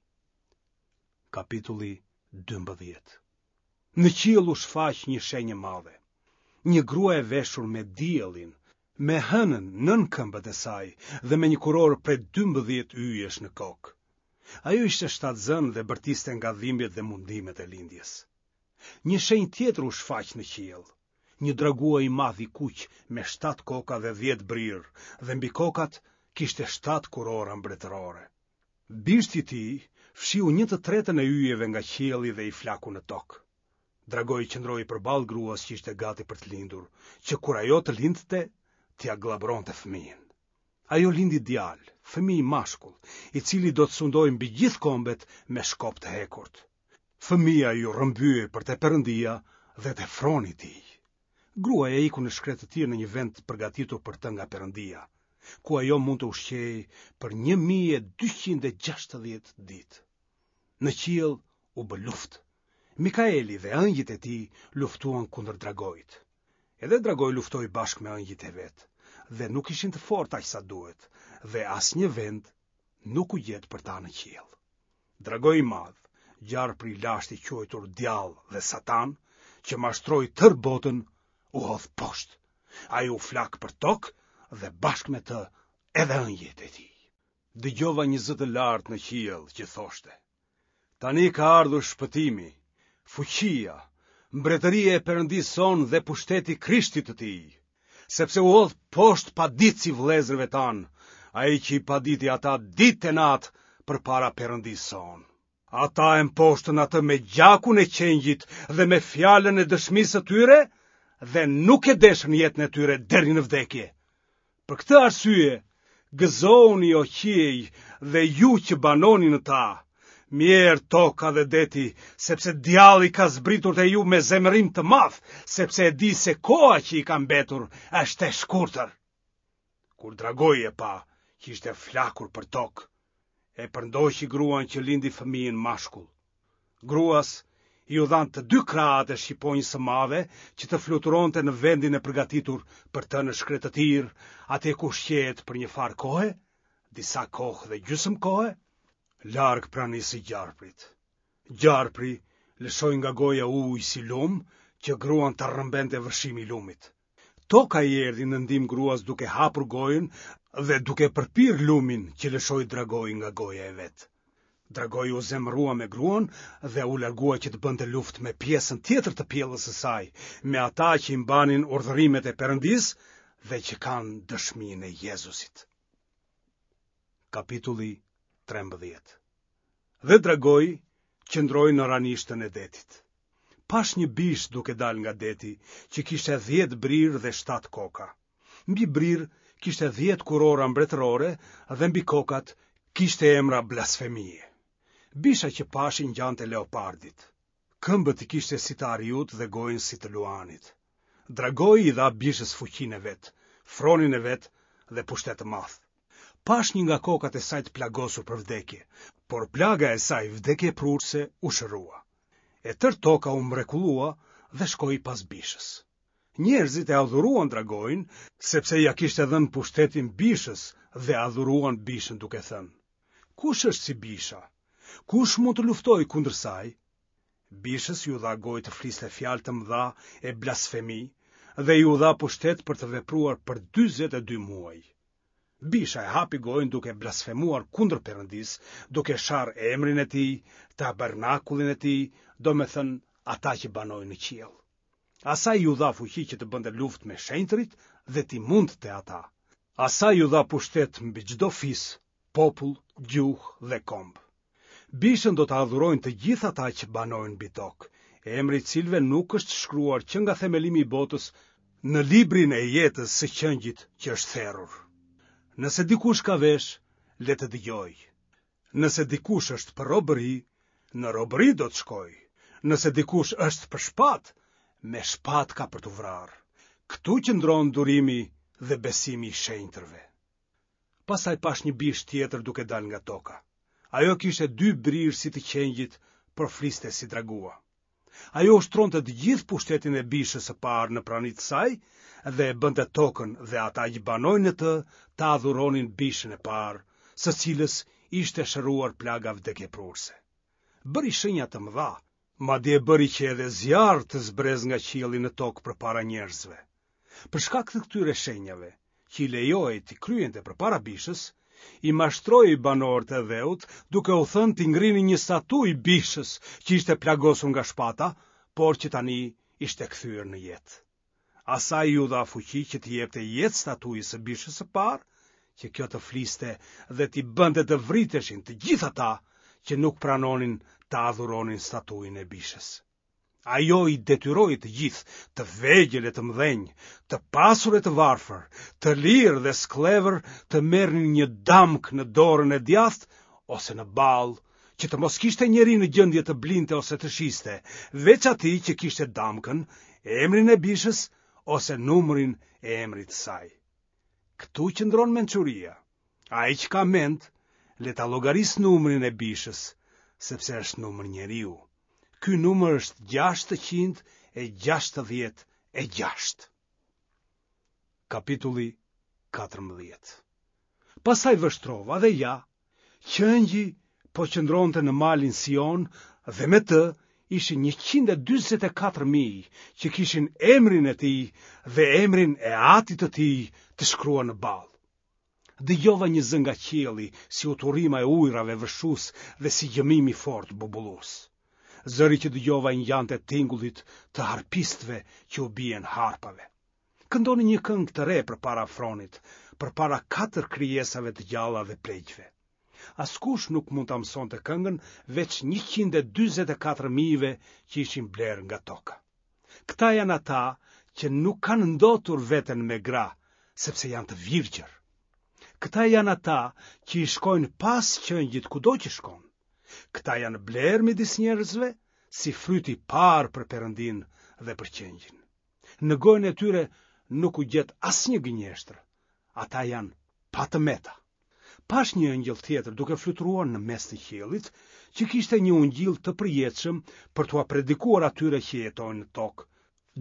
Speaker 1: Kapitulli 12 Në qiell u shfaq një shenjë e madhe. Një grua e veshur me diellin, me hënën nën këmbët e saj dhe me një kurorë prej 12 yjesh në kokë. Ajo ishte shtatzënë dhe bërtiste nga dhimbjet dhe mundimet e lindjes. Një shenjë tjetër u shfaq në qiell. Një dragua i madh i kuq me shtatë koka dhe dhjetë brirë dhe mbi kokat kishte shtatë kurora mbretërore. Bishti i tij fshiu një të tretën e yjeve nga qielli dhe i flaku në tokë. Dragoi qëndroi përballë gruas që ishte gati për të lindur, që kur ajo të lindte, t'ia gllabëronte fëmijën. Ajo lindi djalë, fëmijë mashkull, i cili do të sundojë mbi gjithë kombet me shkop të hekurt. Fëmija iu rrëmbye për te Perëndia dhe te froni i tij. Gruaja iku në shkretëtirë në një vend të përgatitur për të nga Perëndia, ku ajo mund të ushqehej për 1260 ditë. Në qiell u bë luftë. Mikaeli dhe ëngjëjt e tij luftuan kundër dragoit. Edhe dragoi luftoi bashkë me ëngjëjt e vet, dhe nuk ishin të fortë aq sa duhet, dhe asnjë vend nuk u gjet për ta në qiell. Dragoi i madh, gjarpri i lashtë i quajtur Djall dhe Satan, që mashtroi tërë botën, u hodh poshtë. Ai u flak për tokë dhe bashkë me të edhe ëngjëjt e tij. Dëgjova një zë të lartë në qiell që thoshte: Tani ka ardhur shpëtimi, fuqia, mbretëria e Perëndisë sonë dhe pushteti i Krishtit të tij, sepse u hodh poshtë paditësi i vëllezërve tanë, ai që i paditi ata ditë e natë përpara Perëndisë sonë. Ata e mposhtën atë me gjakun e qengjit dhe me fjalën e dëshmisë së tyre dhe nuk e deshën jetën e tyre deri në vdekje. Për këtë arsye, gëzohuni o qiej dhe ju që banoni në ta. Mjerë toka dhe deti, sepse djalli ka zbritur te ju me zemërim të madh, sepse e di se koha që i ka mbetur është e shkurtër. Kur dragoi e pa që ishte flakur për tokë, e përndoqi gruan që lindi fëmijën mashkull. Gruas iu dhanë të dy krahët e shqiponjës së madhe që të fluturonte në vendin e përgatitur për të në shkretëtirë, atje ku ushqehet për një farë kohe, disa kohë dhe gjysmë kohe, larg pranisë së gjarprit. Gjarpri lëshoi nga goja ujë si lumë që gruan ta rrëmbente vërshimi i lumit. Toka i erdhi në ndihmë gruas duke hapur gojën dhe duke përpirë lumin që lëshoi dragoi nga goja e vet. Dragoi u zemërua me gruan dhe u largua që të bënte luftë me pjesën tjetër të pjellës së saj, me ata që i mbanin urdhërimet e Perëndisë dhe që kanë dëshminë e Jezusit. Kapitulli 13 Dhe dragoi qëndroi në ranishtën e detit. Pashë një bishë duke dalë nga deti, që kishte dhjetë brirë dhe shtatë koka. Mbi brirë kishte dhjetë kurora mbretërore dhe mbi kokat kishte emra blasfemie. Bisha që pashë i ngjante leopardit. Këmbët i kishte si të ariut dhe gojën si të luanit. Dragoi i dha bishës fuqinë e vet, fronin e vet dhe pushtet të madh. Pashë një nga kokat e saj të plagosur për vdekje, por plaga e saj vdekjeprurëse u shërua. E tërë toka u mrekullua dhe shkoi pas bishës. Njerëzit e adhuruan dragoin, sepse ia kishte dhënë pushtetin bishës dhe adhuruan bishën duke thënë: Kush është si bisha? Kush mund të luftojë kundër saj? Bishës iu dha gojë të fliste fjalë të mëdha e blasfemi dhe iu dha pushtet për të vepruar për 42 muaj. Bisha e hapi gojën duke blasfemuar kundër Perëndisë, duke sharë emrin e tij, tabernakullin e tij, domethënë ata që banojnë në qiell. Asaj iu dha fuqi që të bënte luftë me shenjtërit dhe t'i mundte ata. Asaj iu dha pushtet mbi çdo fis, popull, gjuhë dhe komb. Bishën do ta adhurojnë të gjithë ata që banojnë mbi tokë, emri i të cilëve nuk është shkruar që nga themelimi i botës në librin e jetës së qengjit që është therur. Nëse dikush ka veshë, le të dëgjojë. Nëse dikush është për robëri, në robëri do të shkojë. Nëse dikush është për shpatë, me shpatë ka për t'u vrarë. Këtu qëndron durimi dhe besimi i shenjtërve. Pastaj pashë një bishë tjetër duke dalë nga toka. Ajo kishte dy brirë si të qengjit, por fliste si dragua. Ajo ushtronte të gjithë pushtetin e bishës së parë në prani të saj dhe e bënte tokën dhe ata që banojnë në të ta adhuronin bishën e parë, së cilës ishte shëruar plaga vdekjeprurëse. Bëri shenja të mëdha, madje bëri që edhe zjarr të zbresë nga qielli në tokë përpara njerëzve. Për shkak të këtyre shenjave, që i lejohej t'i kryente përpara bishës, i mashtroi banorët e dheut duke u thënë t'i ngrinin një statujë bishës që ishte plagosur nga shpata, por që tani ishte kthyer në jetë. Asaj iu dha fuqi që t'i jepte jetë statujës së bishës së parë, që kjo të fliste dhe t'i bënte të vriteshin të gjithë ata që nuk pranonin ta adhuronin statujën e bishës. Ajo i detyroi të gjithë, të vegjël e të mëdhenj, të pasur e të varfër, të lirë dhe skllevër, të merrnin një damkë në dorën e djathtë ose në ballë, që të mos kishte njeri në gjendje të blinte ose të shiste, veç atij që kishte damkën, emrin e bishës ose numrin e emrit të saj. Këtu qëndron mençuria. Ai që ka mend, le ta llogarisë numrin e bishës, sepse është numër njeriu. Ky numër është 666. Kapitulli 14 Pastaj vështrova dhe ja, qengji po qëndronte në malin Sion dhe me të ishin 144.000 që kishin emrin e tij dhe emrin e atit të tij të shkruar në ballë. Dëgjova një zë nga qielli, si uturima e ujërave vërshues dhe si gjëmim i fortë bubullues. Zëri që dëgjova i ngjante tingullit të harpistëve që u bien harpave. Këndonin një këngë të re përpara fronit, përpara katër krijesave të gjalla dhe pleqve. Askush nuk mund ta mësonte këngën veç 144 mijëve që ishin blerë nga toka. Këta janë ata që nuk kanë ndotur veten me gra, sepse janë të virgjër. Këta janë ata që i shkojnë pas qengjit kudo që shkon. Këta janë blerë midis njerëzve si fryt i parë për Perëndinë dhe për qengjin. Në gojën e tyre nuk u gjet asnjë gënjeshtër. Ata janë pa të meta. Pashë një engjëll tjetër duke fluturuar në mes të qiellit, që kishte një ungjill të përjetshëm për t'ua predikuar atyre që jetojnë në tokë,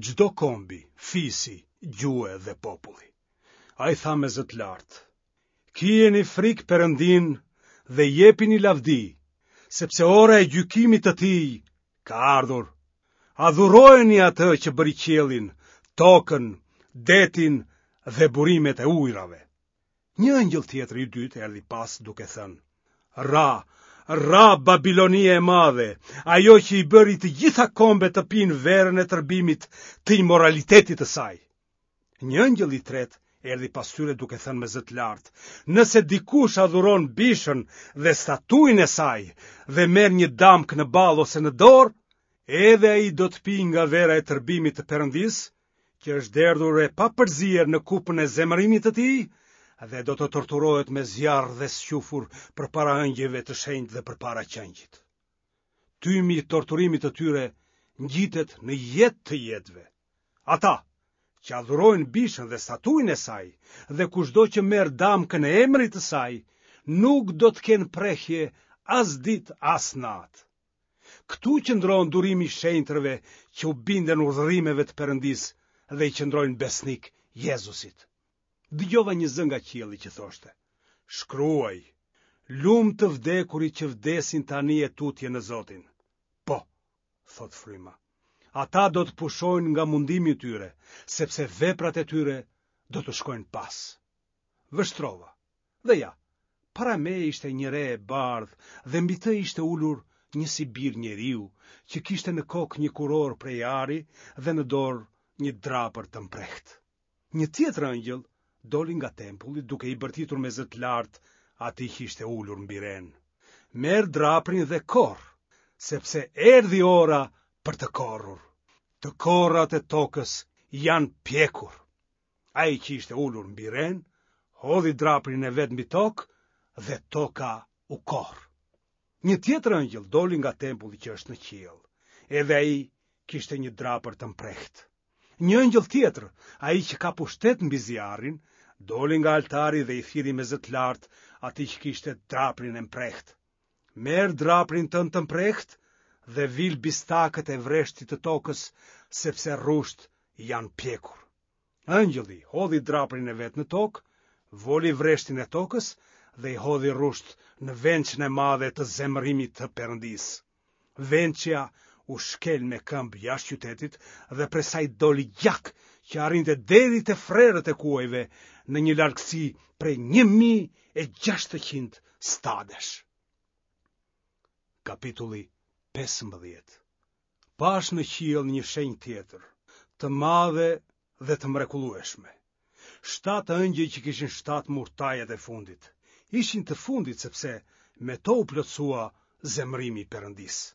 Speaker 1: çdo kombi, fisi, gjuhe dhe populli. Ai tha me zë të lartë: Kijeni frikë Perëndinë dhe jepini lavdi, sepse ora e gjykimit të tij ka ardhur. Adhurojeni atë që bëri qiellin, tokën, detin dhe burimet e ujërave. Një engjëll tjetër i dytë erdhi pas duke thënë: Ra, ra Babilonia e madhe, ajo që i bëri të gjitha kombet të pinë verën e tërbimit të imoralitetit të saj. Një engjëll i tretë erdhi pas tyre duke thënë me zë të lartë: Nëse dikush adhuron bishën dhe statujën e saj dhe merr një damkë në ballë ose në dorë, edhe ai do të pijë nga vera e tërbimit të Perëndisë, që është derdhur e papërzier në kupën e zemërimit të tij dhe do të torturohet me zjarr dhe squfur përpara ëngjëjve të shenjtë dhe përpara qengjit. Tymi i torturimit të tyre ngjitet në jetë të jetëve. Ata që adhurojnë bishën dhe statujën e saj dhe kushdo që merr damkën e emrit të saj, nuk do të kenë prehje as ditë as natë. Këtu qëndron durimi i shenjtërve që u binden urdhërimeve të Perëndisë dhe i qëndrojnë besnik Jezusit. Dëgjova një zë nga qielli që thoshte: Shkruaj, lum të vdekurit që vdesin tani e tutje në Zotin. Po, thotë fryma. Ata do të pushojnë nga mundimi i tyre, sepse veprat e tyre do t'u shkojnë pas. Vështrova. Dhe ja, para meje ishte një re e bardhë dhe mbi të ishte ulur një si bir njeriu, që kishte në kokë një kurorë prej ari dhe në dorë një drapër të mprehtë. Një tjetër engjëll doli nga tempulli duke i bërtitur me zë të lartë atij që ishte ulur mbi renë. Merr draprin dhe korr, sepse erdhi ora për të korrur. Të korrat e tokës janë pjekur. Ai që ishte ulur mbi renë, hodhi draprin e vet mbi tokë dhe toka u korr. Një tjetër engjëll doli nga tempulli që është në qiell. Edhe ai kishte një drapër të mprehtë. Një engjëll tjetër, ai që ka pushtet mbi zjarrin, doli nga altari dhe i thirri me zë të lartë atij që kishte draprin e mprehtë. Merr draprin tënd të mprehtë dhe vil bistakët e vreshtit të tokës, sepse rrushtë janë pjekur. Engjëlli hodhi draprin e vet në tokë, voli vreshtin e tokës dhe i hodhi rrushtë në vençën e madhe të zemërimit të Perëndisë. Vençja u shkel me këmbë jashtë qytetit dhe prej saj doli gjak që arrinte deri te frerët e kuajve në një largësi prej 1600 stadesh. Kapitulli 15 Pashë në qiell një shenjë tjetër, të madhe dhe të mrekullueshme. Shtatë engjëj që kishin shtatë murtajat e fundit, ishin të fundit sepse me to u plotësua zemërimi i Perëndisë.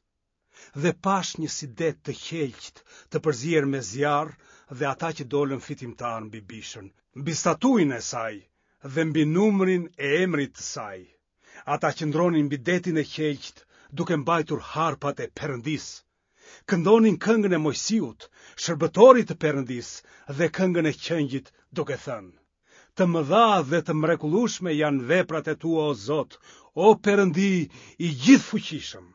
Speaker 1: Dhe pashë një si det të qelqtë të përzier me zjarr dhe ata që dolën fitimtarë mbi bishën, mbi statujën e saj dhe mbi numrin e emrit të saj. Ata qëndronin mbi detin e qelqtë duke mbajtur harpat e Perëndisë. Këndonin këngën e Moisiut, shërbëtorit të Perëndisë dhe këngën e Qengjit duke thënë: Të mëdha dhe të mrekullueshme janë veprat e tua o Zot, o Perëndi i gjithëfuqishëm.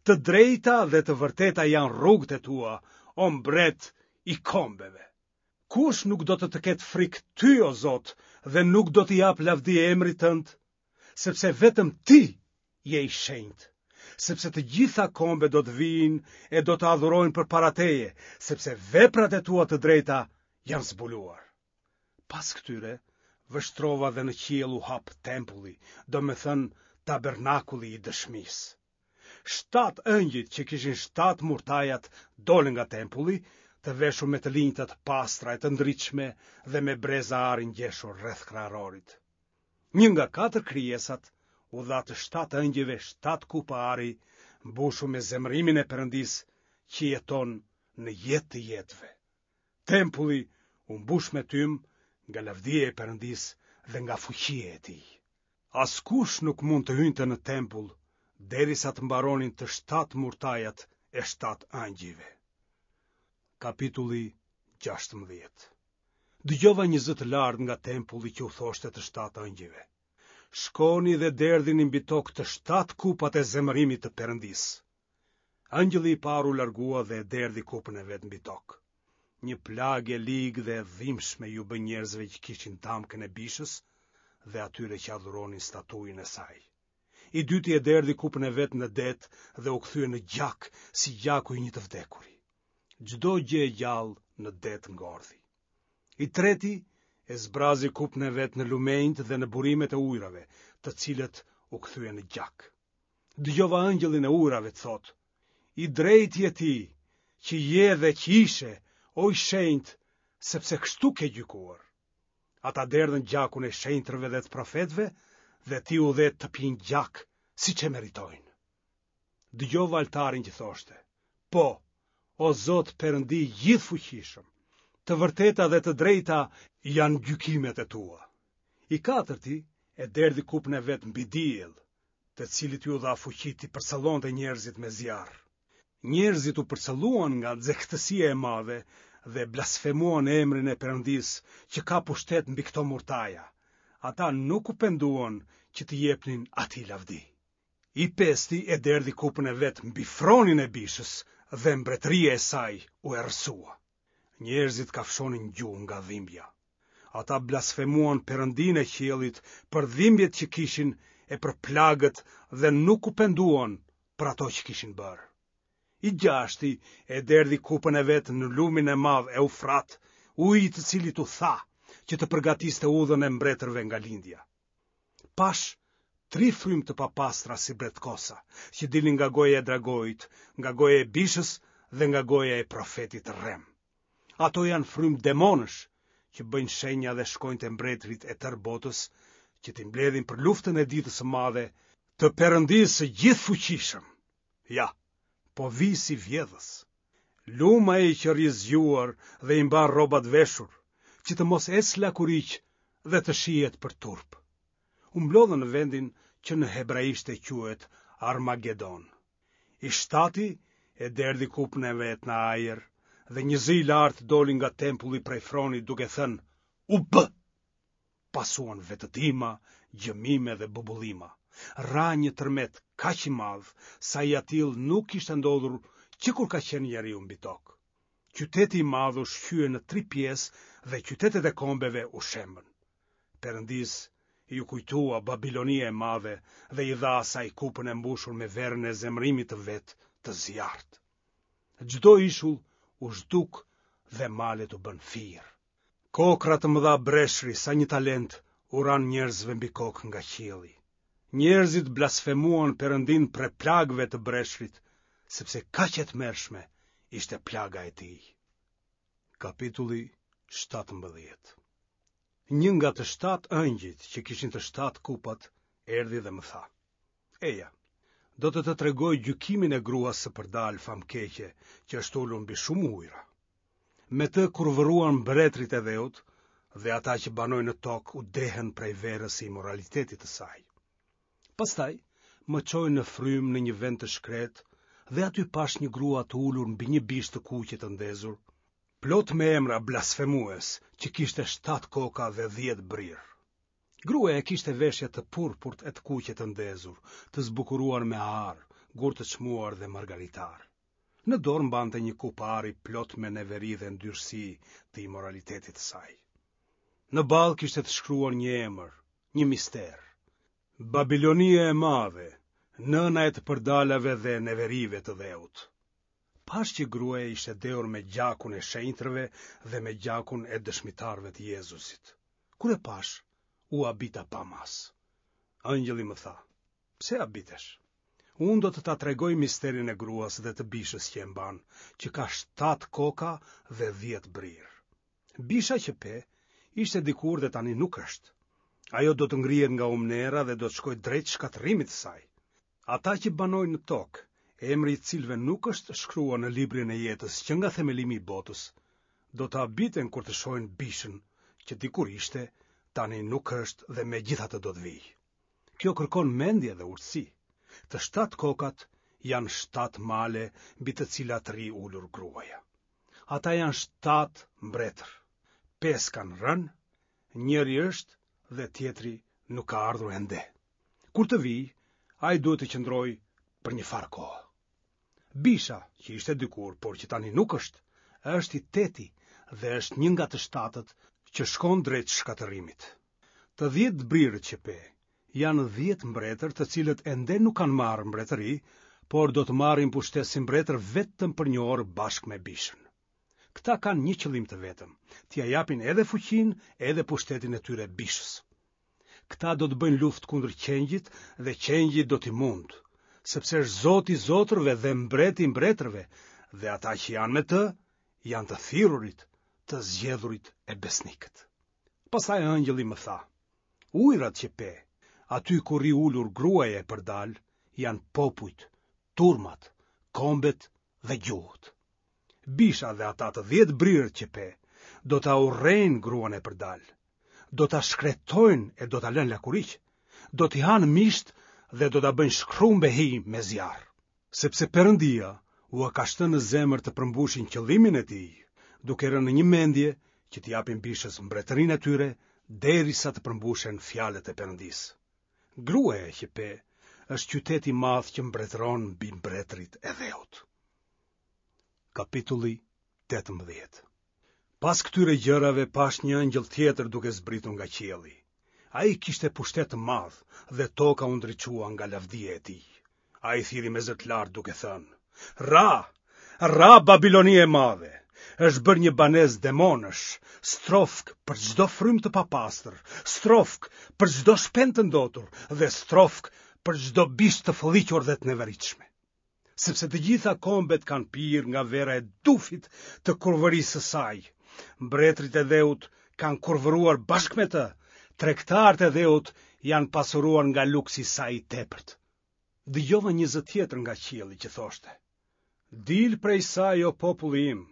Speaker 1: Të drejta dhe të vërteta janë rrugët e tua, o mbret i kombeve. Kush nuk do të të ketë frikë ty o Zot dhe nuk do t'i japë lavdi emrit tënd? Sepse vetëm ti je i shenjtë, sepse të gjitha kombet do të vijnë e do të adhurojnë përpara teje, sepse veprat e tua të drejta janë zbuluar. Pas këtyre, vështrova dhe në qiell u hap tempulli, domethënë tabernakulli i dëshmisë. Shtatë engjëjt që kishin shtatë murtajat dolën nga tempulli, të veshur me të linjta të pastra e të ndritshme dhe me breza ari ngjeshur rreth kraharorit. Një nga katër krijesat u dha të shtatë engjëjve shtatë kupa ari mbushur me zemërimin e Perëndisë që jeton në jetë të jetëve. Tempulli u mbush me tym nga lavdia e Perëndisë dhe nga fuqia e tij. Askush nuk mund të hynte në tempull derisa të mbaronin të shtatë murtajat e shtatë engjëjve. Kapitulli 16 Dëgjova një zë të lartë nga tempulli që u thoshte të shtatë engjëjve. Shkoni dhe derdhini mbi tokë të shtatë kupat e zemërimit të Perëndisë. Engjëlli i parë u largua dhe e derdhi kupën e vet mbi tokë. Një plagë e ligë dhe e dhimbshme iu bë njerëzve që kishin damkën e bishës dhe atyre që adhuronin statujën e saj. I dyti e derdhi kupën e vet në det dhe u kthye në gjak si gjaku i një të vdekuri. Çdo gjë e gjallë në det ngordhi. I treti e zbrazi kupën e vet në lumenjtë dhe në burimet e ujërave, të cilët u kthyen në gjak. Dëgjova engjëllin e ujërave të thotë, i drejtë je ti, që je dhe që ishe, o i shenjtë, sepse kështu ke gjykuar. Ata derdhën gjakun e shenjtërve dhe të profetëve dhe ti u dhe të pinë gjak, siç e meritojnë. Dëgjova altarin që thoshte, po, o Zot Perëndi i gjithëfuqishëm, të vërteta dhe të drejta janë gjykimet e tua. I katërti e derdhi kupën e vet mbi diell, të cilit iu dha fuqi t'i përcëllonte njerëzit me zjarr. Njerëzit u përcëlluan nga nxehtësia e madhe dhe blasfemuan emrin e Perëndisë që ka pushtet mbi këto murtaja. Ata nuk u penduan që t'i jepnin atij lavdi. I pesti e derdhi kupën e vet mbi fronin e bishës dhe mbretëria e saj u errësua. Njerëzit kafshonin gjuhë nga dhimbja. Ata blasfemuan Perëndinë e qiellit për dhimbjet që kishin e për plagët dhe nuk u penduan për ato që kishin bërë. I gjashti e derdhi kupën e vet në lumin e madh Eufrat, uji i të cilit u tha, që të përgatiste udhën e mbretërve nga lindja. Pashë tri frymë të papastra si bretkosa, që dilnin nga goja e dragoit, nga goja e bishës dhe nga goja e profetit të rremë. Ato janë frymë demonësh, që bëjnë shenja dhe shkojnë te mbretërit e tërë botës, që t'i mbledhin për luftën e ditës së madhe të Perëndisë së gjithëfuqishëm. Ja, po vij si vjedhës. Lum ai që rri zgjuar dhe i mban rrobat veshur, që të mos ecë lakuriq dhe të shihet për turp. U mblodhën në vendin që në hebraishte quhet Armagedon. I shtati e derdhi kupën e vet në ajër dhe një zë i lartë doli nga tempulli prej fronit duke thënë, u bë! Pasuan vetëtima, gjëmime dhe bubullima. Ra një tërmet kaq i madh, sa i atillë nuk kishte ndodhur që kur ka qenë njeriu mbi tokë. Qyteti i madh u shqye në tri pjesë dhe qytetet e kombeve u shembën. Perëndisë iu kujtua Babilonia e Madhe dhe i dha asaj kupën e mbushur me verën e zemërimit të vet të zjarrtë. Çdo ishull u zhduk dhe malet u bënë firë. Kokrra të mëdha breshri sa një talent u ranë njerëzve mbi kokë nga qielli. Njerëzit blasfemuan Perëndinë prej plagëve të breshrit, sepse kaq e tmerrshme ishte plaga e tij. Kapitulli 17 Një nga të shtatë engjëjt që kishin të shtatë kupat erdhi dhe më tha: Eja, do të të tregoj gjykimin e gruas së përdalë famëkeqe që është ulur mbi shumë ujëra. Me të kurvëruan mbretërit e dheut dhe ata që banojnë në tokë u dehën prej verës së imoralitetit të saj. Pastaj më çoi në frymë në një vend të shkretë dhe aty pashë një grua të ulur mbi një bishë të kuqe të ndezur, plot me emra blasfemues që kishte shtatë koka dhe dhjetë brirë. Gruaja kishte veshje të purpurt e të kuqe të ndezur, të zbukuruar me ar, gurë të çmuar dhe margaritarë. Në dorë mbante një kupë ari plot me neveri dhe ndyrësi të imoralitetit të saj. Në ballë kishte të shkruar një emër, një mister. Babilonia e madhe, nëna e të përdalave dhe neverive të dheut. Pashë që gruaja ishte dehur me gjakun e shenjtërve dhe me gjakun e dëshmitarëve të Jezusit. Kur e pashë, u habita pa masë. Engjëlli më tha, Pse habitesh? Unë do të ta tregoj misterin e gruas dhe të bishës që e mban, që ka shtatë koka dhe dhjetë brirë. Bisha që pe, ishte dikur dhe tani nuk është. Ajo do të ngrihet nga humnera dhe do të shkojë drejt shkatërrimit të saj. Ata që banojnë në tokë, emri i të cilëve nuk është shkruar në librin e jetës që nga themelimi i botës, do të habiten kur të shohin bishën që dikur ishte, tani nuk është dhe megjithatë do të vijë. Kjo kërkon mendje dhe urtësi. Të shtatë kokat janë shtatë male mbi të cilat rri ulur gruaja. Ata janë shtatë mbretër. Pesë kanë rënë, njëri është dhe tjetri nuk ka ardhur ende. Kur të vijë, ai duhet të qëndrojë për një farë kohe. Bisha, që ishte dikur, por që tani nuk është, është i teti dhe është një nga të shtatët që shkon drejt shkatërrimit. Të dhjetë brirët që pe, janë dhjetë mbretër të cilët ende nuk kanë marrë mbretëri, por do të marrin pushtet si mbretër vetëm për një orë bashkë me bishën. Këta kanë një qëllim të vetëm, t'ia japin edhe fuqinë edhe pushtetin e tyre bishës. Këta do të bëjnë luftë kundër qengjit dhe qengji do t'i mundë, sepse është Zoti i zotërve dhe mbreti i mbretërve, dhe ata që janë me të, janë të thirrurit, të zgjedhurit e besnikët. Pastaj engjëlli më tha, ujërat që pe, aty ku rri ulur gruaja e përdalë, janë popujt, turmat, kombet dhe gjuhët. Bisha dhe ata të dhjetë brirët që pe, do ta urrejnë gruan e përdalë, do ta shkretojnë e do ta lënë lakuriq, do t'i hanë mishtë dhe do ta bëjnë shkrumb e hi me zjarr. Sepse Perëndia ua ka shtënë në zemër të përmbushin qëllimin e tij, duke rënë në një mendje që t'i japin bishës mbretërinë e tyre derisa të përmbushen fjalët e Perëndisë. Gruaja që pe është qyteti i madh që mbretëron mbi mbretërit e dheut. Kapitulli 18 Pas këtyre gjërave pashë një engjëll tjetër duke zbritur nga qielli. Ai kishte pushtet të madh dhe toka u ndriçua nga lavdia e tij. Ai thirri me zë të lartë duke thënë: Ra, ra Babilonia e madhe, është bërë një banesë demonësh, strofkë për çdo frymë të papastër, strofkë për çdo shpend të ndotur dhe strofkë për çdo bishë të fëlliqur dhe të neveritshme. sepse të gjitha kombet kanë pirë nga vera e dufit të kurvërisë së saj. Mbretërit e dheut kanë kurvëruar bashkë me të, tregtarët e dheut janë pasuruar nga luksi i saj i tepërt. Dëgjova një zë tjetër nga qielli që thoshte: Dil prej saj o populli im,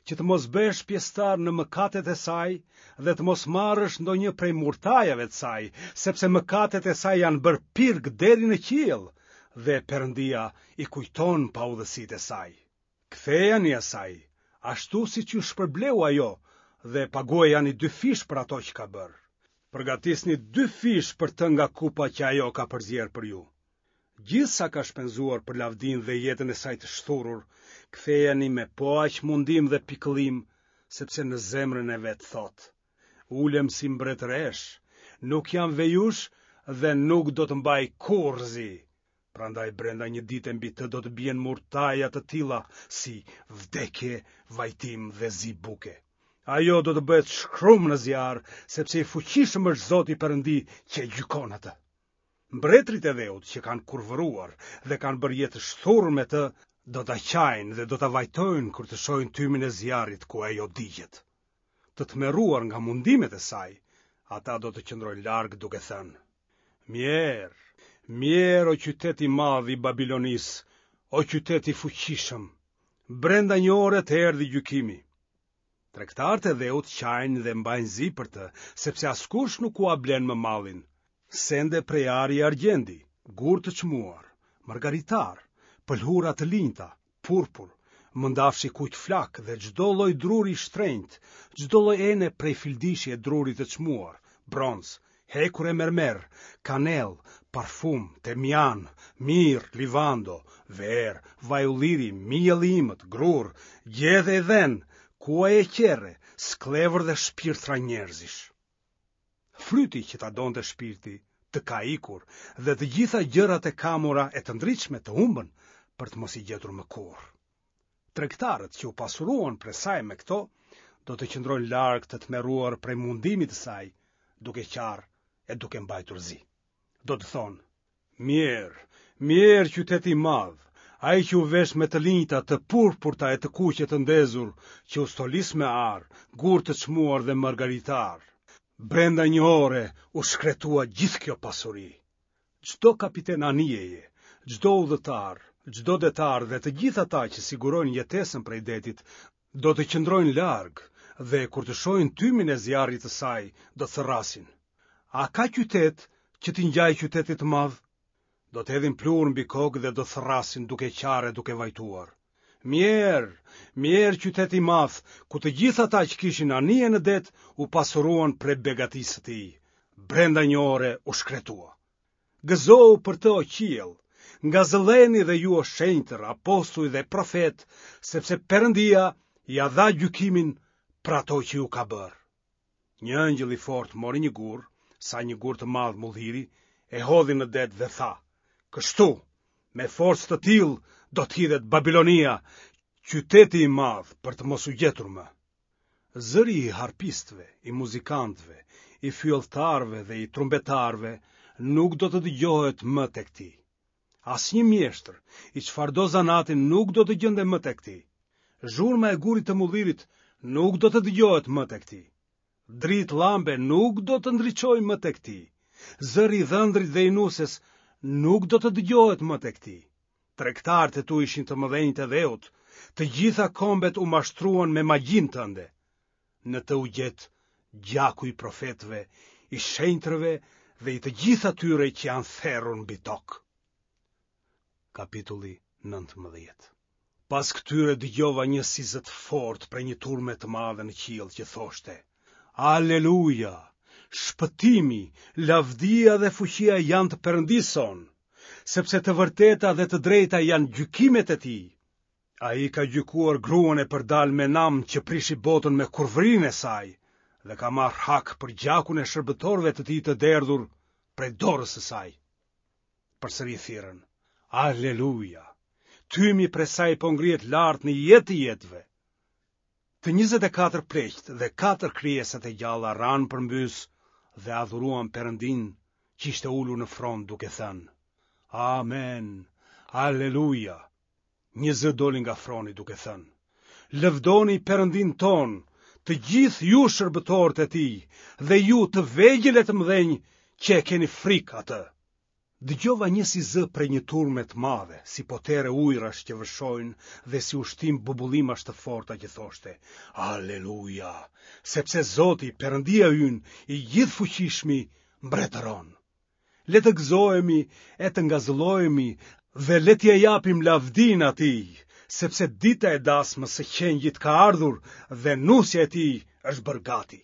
Speaker 1: që të mos bëhesh pjesëtar në mëkatet e saj dhe të mos marrësh ndonjë prej murtajave të saj, sepse mëkatet e saj janë bërë pirg deri në qiell dhe Perëndia i kujton paudhësitë e saj. Kthejani asaj, ashtu siç ju shpërbleu ajo dhe paguajani dyfish për ato që ka bërë. Përgatisni dyfish për të nga kupa që ajo ka përzier për ju. Gjithë sa ka shpenzuar për lavdinë dhe jetën e saj të shthurur, kthejani me po aq mundim dhe pikëllim, sepse në zemrën e vet thotë: Ulem si mbretëreshë, nuk jam vejushë dhe nuk do të mbaj kurrë zi. Prandaj brenda një dite mbi të do të bien murtaja të tilla si vdekje, vajtim dhe zi buke. Ajo do të bëhet shkrum në zjarr, sepse i fuqishëm është Zoti Perëndi që e gjykon atë. Mbretërit e dheut që kanë kurvëruar dhe kanë bërë jetë të shthurur me të, do ta qajnë dhe do ta vajtojnë kur të shohin tymin e zjarrit ku ajo digjet. Të tmerruar nga mundimet e saj, ata do të qëndrojnë larg duke thënë: Mjerë, mjerë o qytet i madh i Babilonisë, o qytet i fuqishëm. Brenda një ore të erdhi gjykimi. Tregtarët e dheut qajnë dhe mbajnë zi për të, sepse askush nuk ua blen më mallin. Sende prej ari e argjendi, gurë të çmuar, margaritarë, pëlhura të linjta, purpur, mëndafsh i kuq flakë dhe çdo lloj druri i shtrenjtë, çdo lloj ene prej fildishi e druri të çmuar, bronz, hekur e mermer, kanellë, parfum, temjan, mirë, livando, verë, vaj ulliri, miell i imët, grurë, gjedhe e dhen, kuaj e qerre, skllevër dhe shpirtra njerëzish. Fryti që ta donte shpirti të ka ikur dhe të gjitha gjërat e kamura e të ndritshme të humbën për të mos i gjetur më kurrë. Tregtarët që u pasuruan prej saj me këto, do të qëndrojnë larg të tmerruar prej mundimit të saj, duke qarë e duke mbajtur zi. Do të thonë, mjerë, mjerë qyteti i madh, ai që u vesh me të linjta të purpurta e të kuqe të ndezur, që u stolis me ar, gurë të çmuar dhe margaritarë. Brenda një ore u shkretua gjithë kjo pasuri. Çdo kapiten anijeje, çdo udhëtar, çdo detar dhe të gjithë ata që sigurojnë jetesën prej detit, do të qëndrojnë larg dhe kur të shohin tymin e zjarrit të saj, do të thërrasin. A ka qytet që t'i ngjajë qytetit të madh? Do të hedhin pluhur mbi kokë dhe do të thërrasin duke qarë e duke vajtuar. Mjerë, mjerë qytet i madh, ku të gjithë ata që kishin anije në det u pasuruan prej begatisë së tij. Brenda një ore u shkretua. Gëzohu për të o qiell, ngazëlleheni dhe ju o shenjtër, apostuj dhe profetë, sepse Perëndia ia dha gjykimin për ato që ju ka bërë. Një engjëll i fortë mori një gur, sa një gur të madh mulliri, e hodhi në det dhe tha: Kështu, me forcë të tillë do të hidhet Babilonia, qyteti i madh për të mos u gjetur më. Zëri i harpistëve, i muzikantëve, i fyelltarëve dhe i trumbetarëve nuk do të dëgjohet më tek ti. Asnjë mjeshtër, i çfarëdo zanati nuk do të gjendet më tek ti. Zhurma e gurit të mullirit nuk do të dëgjohet më tek ti. Dritë llambe nuk do të ndriçojë më tek ti. Zëri i dhëndrit dhe i nuses nuk do të dëgjohet më tek ti. Tregtarët e tu ishin të mëdhenjtë e dheut, të gjitha kombet u mashtruan me magjinë tënde. Në të u gjet gjaku i profetëve, i shenjtërve dhe i të gjithë atyre që janë therur mbi tokë. Kapitulli 19 Pas këtyre dëgjova një si zë të fortë prej një turme të madhe në qiell që thoshte: Aleluja! Shpëtimi, lavdia dhe fuqia janë të Perëndisë sonë, sepse të vërteta dhe të drejta janë gjykimet e tij. Ai ka gjykuar gruan e përdalë me nam që prishi botën me kurvërinë e saj dhe ka marrë hak për gjakun e shërbëtorëve të tij të derdhur prej dorës së saj. Përsëri thirrën, Aleluja! Tymi prej saj po ngrihet lart në jetë të jetëve. Të 24 pleqtë dhe katër krijesat e gjalla ranë përmbys dhe adhuruan Perëndinë që ishte ulur në fron duke thënë, Amen, Aleluja! Një zë doli nga froni duke thënë: Lëvdoni Perëndinë tonë, të gjithë ju shërbëtorët e tij dhe ju të vegjël e të mëdhenj që e keni frikë atë. Dëgjova një si zë prej një turme të madhe, si potere ujërash që vërshojnë dhe si ushtim bubullimash të forta që thoshte: Aleluja, sepse Zoti, Perëndia ynë, i gjithëfuqishmi, mbretëron. Le të gëzohemi e të ngazëllohemi dhe le t'ia japim lavdinë atij, sepse dita e dasmës së qengjit ka ardhur dhe nusja e tij është bërë gati.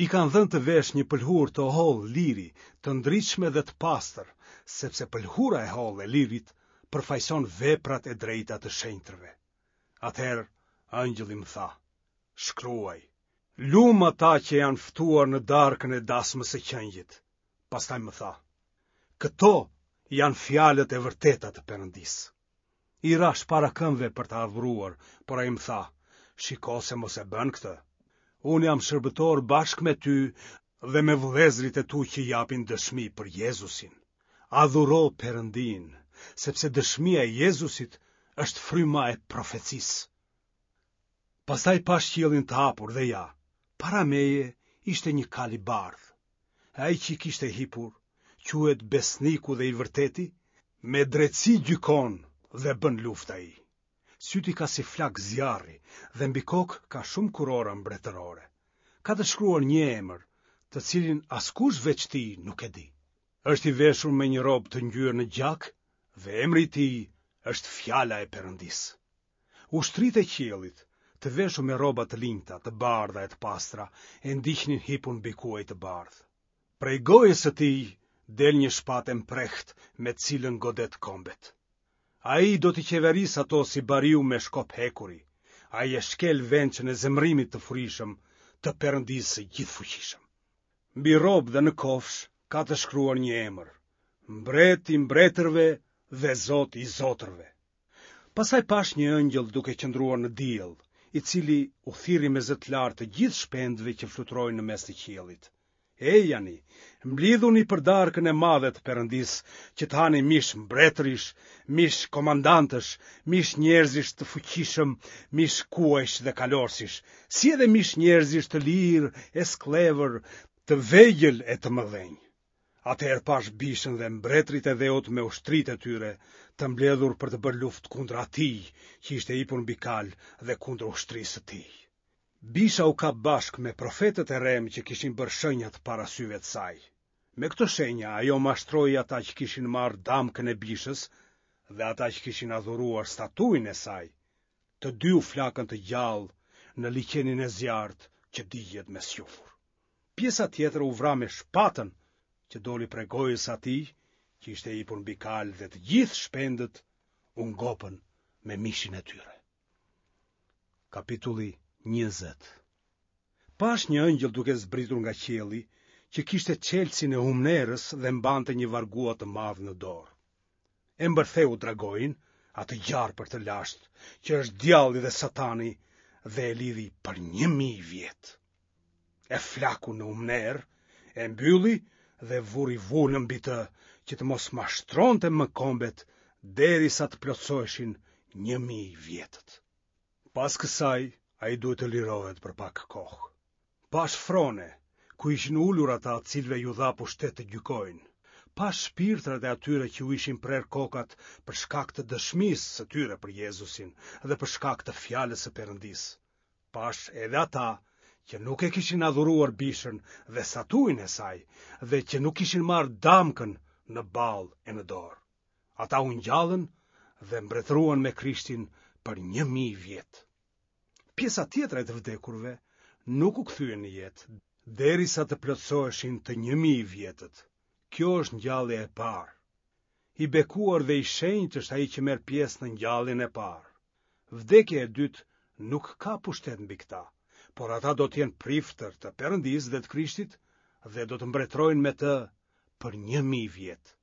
Speaker 1: I kanë dhënë të veshë një pëlhurë të hollë liri, të ndritshme dhe të pastër, sepse pëlhura e hollë e lirit përfaqëson veprat e drejta të shenjtërve. Atëherë ëngjëlli më tha: Shkruaj, lum ata që janë ftuar në darkën e dasmës së qengjit. Pastaj më tha: Këto janë fjalët e vërteta të Perëndisë. I rashë para këmbëve për ta adhuruar, por ai më tha, shiko se mos e bën këtë. Unë jam shërbëtor bashkë me ty dhe me vëllezërit e tu që japin dëshmi për Jezusin. Adhuro Perëndinë, sepse dëshmia e Jezusit është fryma e profecisë. Pastaj pashë qiellin të hapur dhe ja, para meje ishte një kalë i bardhë. E ai që i kishte hipur, quhet Besniku dhe i Vërteti, me drejtësi gjykon dhe bën luftë ai. Sytë i ka si flakë zjarri dhe mbi kokë ka shumë kurora mbretërore. Ka të shkruar një emër, të cilin askush veç tij nuk e di. Është i veshur me një rrobë të ngjyer në gjak dhe emri i tij është Fjala e Perëndisë. Ushtritë e qiellit, të veshur me rroba të linjta, të bardha e të pastra, e ndiqnin hipur mbi kuaj të bardhë. Prej gojës së tij del një shpatë e mprehtë me të cilën godet kombet. Ai do t'i qeverisë ato si bariu me shkop hekuri. Ai e shkel vençën e zemërimit të furishëm të Perëndisë së Gjithëfuqishëm. Mbi rrobë dhe në kofshë ka të shkruar një emër, Mbret i mbretërve dhe Zot i zotërve. Pastaj pashë një ëngjëll duke qëndruar në diell, i cili u thirri me zë të lartë të gjithë shpendëve që fluturojnë në mes të qiellit. Ejani, mblidhuni për darkën e madhe të Perëndisë, që të hani mish mbretërish, mish komandantësh, mish njerëzish të fuqishëm, mish kuajsh dhe kalorësish, si edhe mish njerëzish të lirë e skllevër, të vegjël e të mëdhenj. Atëherë pashë bishën dhe mbretërit e dheut me ushtritë e tyre, të mbledhur për të bërë luftë kundër atij që ishte hipur mbi kalë dhe kundër ushtrisë së tij. Bisha u kap bashkë me profetët e rremë që kishin bërë shenjat para syve të saj. Me këto shenja ajo mashtroi ata që kishin marrë damkën e bishës dhe ata që kishin adhuruar statujën e saj. Të dy u flakën të gjallë në liqenin e zjarrtë që digjet me squfur. Pjesa tjetër u vra me shpatën që doli prej gojës së atij që ishte hipur mbi kalë dhe të gjithë shpendët u ngopën me mishin e tyre. Kapitulli 20 Pashë një ëngjëll duke zbritur nga qielli, që kishte çelësin e humnerës dhe mbante një vargua të madh në dorë. E mbërtheu dragoin, atë gjarpër të lashtë, që është djalli dhe satani, dhe e lidhi për 1000 vjet. E flaku në humnerë, e mbylli dhe vuri vulën mbi të, që të mos mashtronte më kombet derisa të plotësoheshin 1000 vjetët. Pas kësaj, ai duhet të lirohet për pak kohë. Pashë frone, ku ishin ulur ata të cilëve iu dha pushtet të gjykojnë. Pashë shpirtrat e atyre që u ishin prerë kokat për shkak të dëshmisë së tyre për Jezusin dhe për shkak të fjalës së Perëndisë. Pashë edhe ata që nuk e kishin adhuruar bishën dhe statujën e saj dhe që nuk kishin marrë damkën në ballë e në dorë. Ata u ngjallën dhe mbretëruan me Krishtin për 1000 vjet. Pjesa tjetër e të vdekurve nuk u kthye në jetë derisa të plotësoheshin të 1000 vjetët. Kjo është ngjallja e parë. I bekuar dhe i shenjtë është ai që merr pjesë në ngjalljen e parë. Vdekja e dytë nuk ka pushtet mbi këta, por ata do të jenë priftër të Perëndisë dhe të Krishtit dhe do të mbretërojnë me të për 1000 vjet.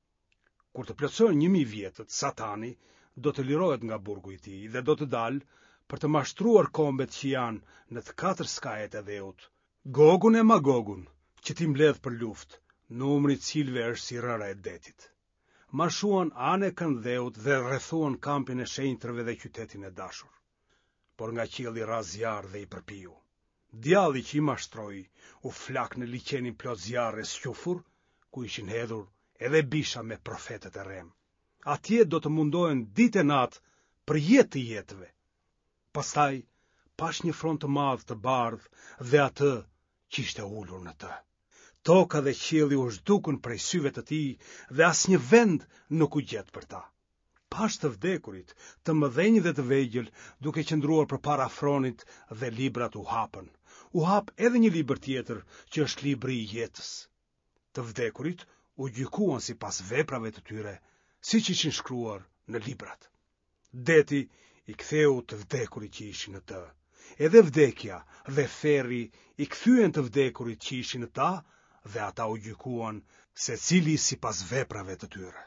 Speaker 1: Kur të plotësohen 1000 vjetët, Satani do të lirohet nga burgu i tij dhe do të dalë për të mashtruar kombet që janë në të katër skajet e dheut, Gogun e Magogun, që t'i mbledhë për luftë, numri i të cilëve është si rëra e detit. Marshuan anekënd dheut dhe rrethuan kampin e shenjtërve dhe qytetin e dashur. Por nga qielli ra zjarr dhe i përpiu. Djalli që i mashtroi u flak në liqenin plot zjarr e squfur, ku ishin hedhur edhe bisha me profetët e rremë. Atje do të mundohen ditë e natë për jetë të jetëve. Pastaj pashë një fron të madh të bardhë dhe atë që ishte ulur në të. Toka dhe qielli u zhdukën prej syve të tij dhe asnjë vend nuk u gjet për ta. Pashë të vdekurit, të mëdhenj dhe të vegjël, duke qëndruar përpara fronit dhe librat u hapën. U hap edhe një libër tjetër, që është libri i jetës. Të vdekurit u gjykuan sipas veprave të tyre, siç ishin shkruar në librat. Deti i ktheu të vdekurit që ishin në të. Edhe vdekja dhe ferri i kthyen të vdekurit që ishin në ta dhe ata u gjykuan secili sipas veprave të tyre.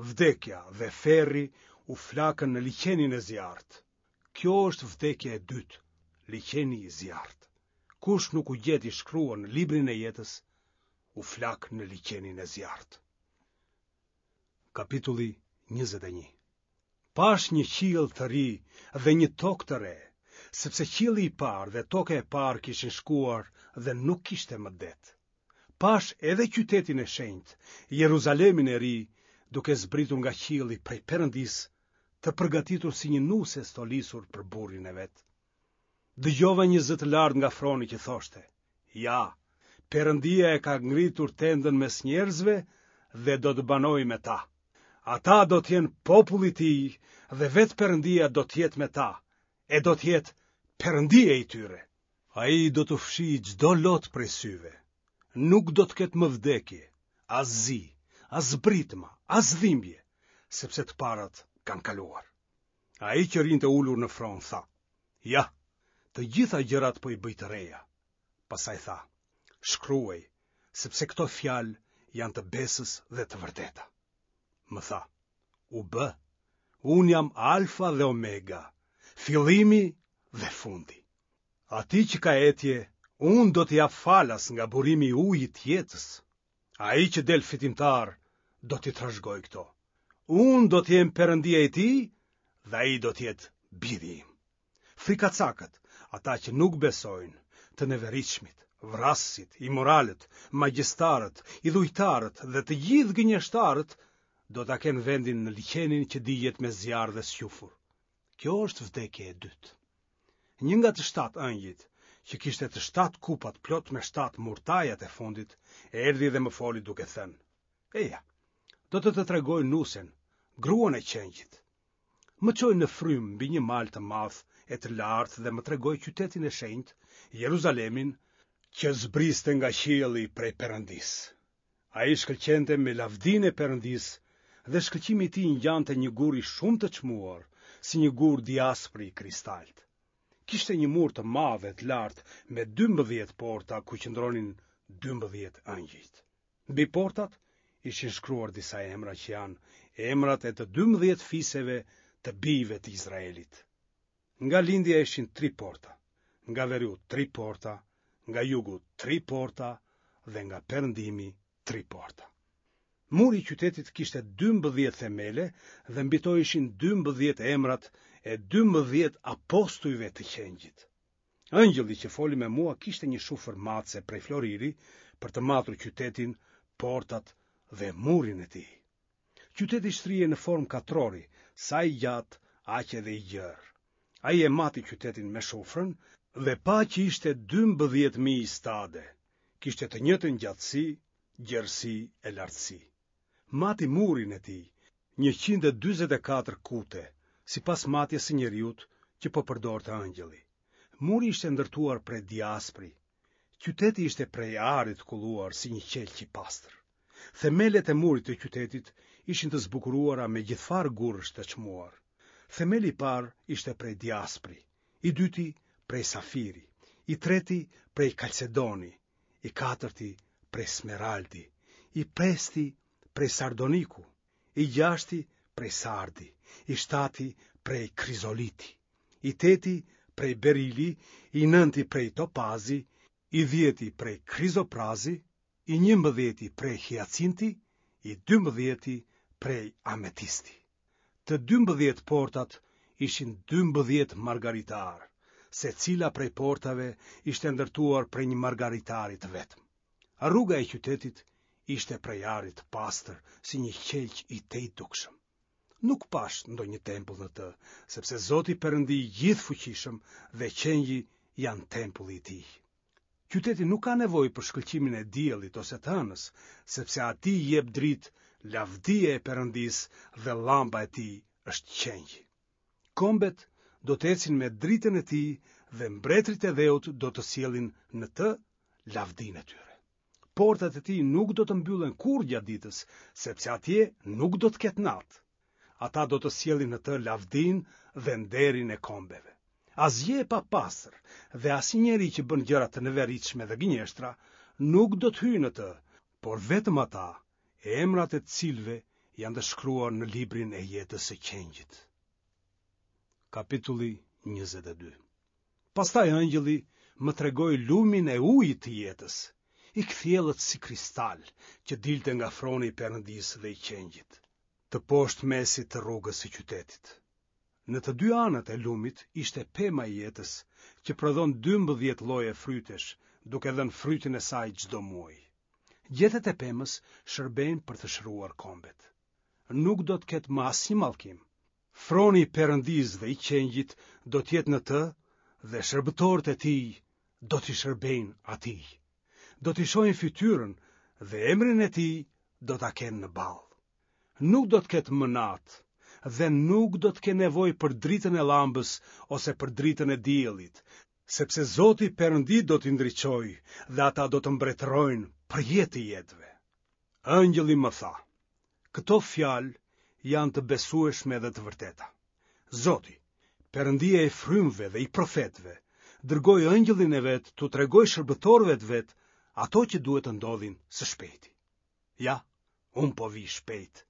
Speaker 1: Vdekja dhe ferri u flakën në liqenin e zjarrtë. Kjo është vdekja e dytë, liqeni i zjarrtë. Kush nuk u gjet i shkruar në librin e jetës, u flak në liqenin e zjarrtë. Kapitulli 21 Pashë një qiell të ri dhe një tokë të re, sepse qielli i parë dhe toka e parë kishin shkuar dhe nuk kishte më det. Pashë edhe qytetin e shenjtë, Jeruzalemin e ri, duke zbritur nga qielli prej Perëndisë, të përgatitur si një nuse e stolisur për burrin e vet. Dëgjova një zë të lartë nga froni që thoshte: Ja, Perëndia e ka ngritur tendën mes njerëzve dhe do të banojë me ta. Ata do të jenë populli i tij dhe vetë Perëndia do të jetë me ta, e do të jetë Perëndia i tyre. Ai do t'u fshijë çdo lot prej syve. Nuk do të ketë më vdekje, as zi, as britma, as dhimbje, sepse të parat kanë kaluar. Ai që rrinte ulur në fron tha: Ja, të gjitha gjërat po i bëj të reja. Pastaj tha: Shkruaj, sepse këto fjalë janë të besës dhe të vërteta. Më tha: U bë. Unë jam Alfa dhe Omega, fillimi dhe fundi. Atij që ka etje, unë do t'i jap falas nga burimi i ujit të jetës. Ai që del fitimtar do t'i trashëgojë këto. Unë do të jem Perëndia i tij dhe ai do të jetë biri im. Frikacakët, ata që nuk besojnë, të neveritshmit, vrasësit, imoralët, magjistarët, idhujtarët dhe të gjithë gënjeshtarët do ta kenë vendin në liqenin që digjet me zjarr dhe squfur. Kjo është vdekja e dytë. Një nga të shtatë engjëjt, që kishte të shtatë kupat plot me shtatë murtajat e fundit, erdhi dhe më foli duke thënë: Eja, do të të tregoj nusen, gruan e qengjit. Më çoi në frymë mbi një mal të madh e të lartë dhe më tregoi qytetin e shenjtë, Jeruzalemin, që zbriste nga qielli prej Perëndisë. Ai shkëlqente me lavdinë e Perëndisë dhe shkëlqimi i tij ngjante një guri shumë të çmuar, si një gur diaspri i kristaltë. Kishte një mur të madh e të lartë me 12 porta ku qëndronin 12 engjëjt. Mbi portat ishin shkruar disa emra që janë emrat e të 12 fiseve të bijve të Izraelit. Nga lindja ishin tri porta, nga veriu tri porta, nga jugu tri porta dhe nga perëndimi tri porta. Muri i qytetit kishte 12 themele dhe mbi to ishin 12 emrat e 12 apostujve të qengjit. Engjëlli që foli me mua kishte një shufër matëse prej floriri për të matur qytetin, portat dhe murin e tij. Qyteti shtrihej në formë katrori, sa i gjatë, aq edhe i gjerë. Ai e mati qytetin me shufrën dhe pa që ishte 12.000 stade, kishte të njëjtën gjatësi, gjerësi e lartësi. Mati murin e tij, 144 kute, sipas matjes së njeriut që po përdorte engjëlli. Muri ishte ndërtuar prej diaspri. Qyteti ishte prej ari të kulluar si një qelq i pastër. Themelet e murit të qytetit ishin të zbukuruara me gjithfarë gurësh të çmuar. Themeli i parë ishte prej diaspri, i dyti prej safiri, i treti prej kalcedoni, i katërti prej smeraldi, i pesti prej sardoniku, i gjashti prej sardi, i shtati prej krizoliti, i teti prej berili, i nënti prej topazi, i dhjeti prej krizoprazi, i njëmbëdhjeti prej hiacinti, i dymbëdhjeti prej ametisti. Të 12 portat ishin 12 margaritarë, secila prej portave ishte ndërtuar prej një margaritari të vetëm. Rruga e qytetit ishte prej ari të pastër, si një qelq i tejdukshëm. Nuk pashë ndonjë tempull në të, sepse Zoti Perëndi i gjithëfuqishëm dhe qengji janë tempulli i tij. Qyteti nuk ka nevojë për shkëlqimin e diellit ose të hënës, sepse atij i jep dritë lavdia e Perëndisë dhe llamba e tij është qengji. Kombet do të ecin me dritën e tij dhe mbretërit e dheut do të sjellin në të lavdinë e tyre. Portat e tij nuk do të mbyllen kurrë gjatë ditës, sepse atje nuk do të ketë natë. Ata do të sjellin në të lavdinë dhe nderin e kombeve. Asgjë e papastër dhe asnjë njeri që bën gjëra të neveritshme dhe gënjeshtra nuk do të hyjë në të, por vetëm ata, emrat e të cilëve janë të shkruar në librin e jetës së Qengjit. Kapitulli 22 Pastaj ëngjëlli më tregoi lumin e ujit të jetës, i kthjellët si kristal, që dilte nga froni i Perëndisë dhe i Qengjit, teposhtë mesit të rrugës së qytetit. Në të dy anët e lumit ishte pema e jetës, që prodhon 12 lloje frytesh, duke dhënë frytin e saj çdo muaj. Gjethet e pemës shërbejnë për të shëruar kombet. Nuk do të ketë më asnjë mallkim. Froni i Perëndisë dhe i Qengjit do të jetë në të dhe shërbëtorët e tij do t'i shërbejnë atij. Do t'i shohin fytyrën dhe emrin e tij do ta kenë në ballë. Nuk do të ketë më natë dhe nuk do të kenë nevojë për dritën e llambës ose për dritën e diellit, sepse Zoti Perëndi do t'i ndriçojë dhe ata do të mbretërojnë për jetë të jetëve. Ëngjëlli më tha, këto fjalë janë të besueshme dhe të vërteta. Zoti, Perëndia i frymëve dhe i profetëve, dërgoi ëngjëllin e vet t'u tregojë shërbëtorëve të vet ato që duhet të ndodhin së shpejti. Ja, unë po vij shpejt.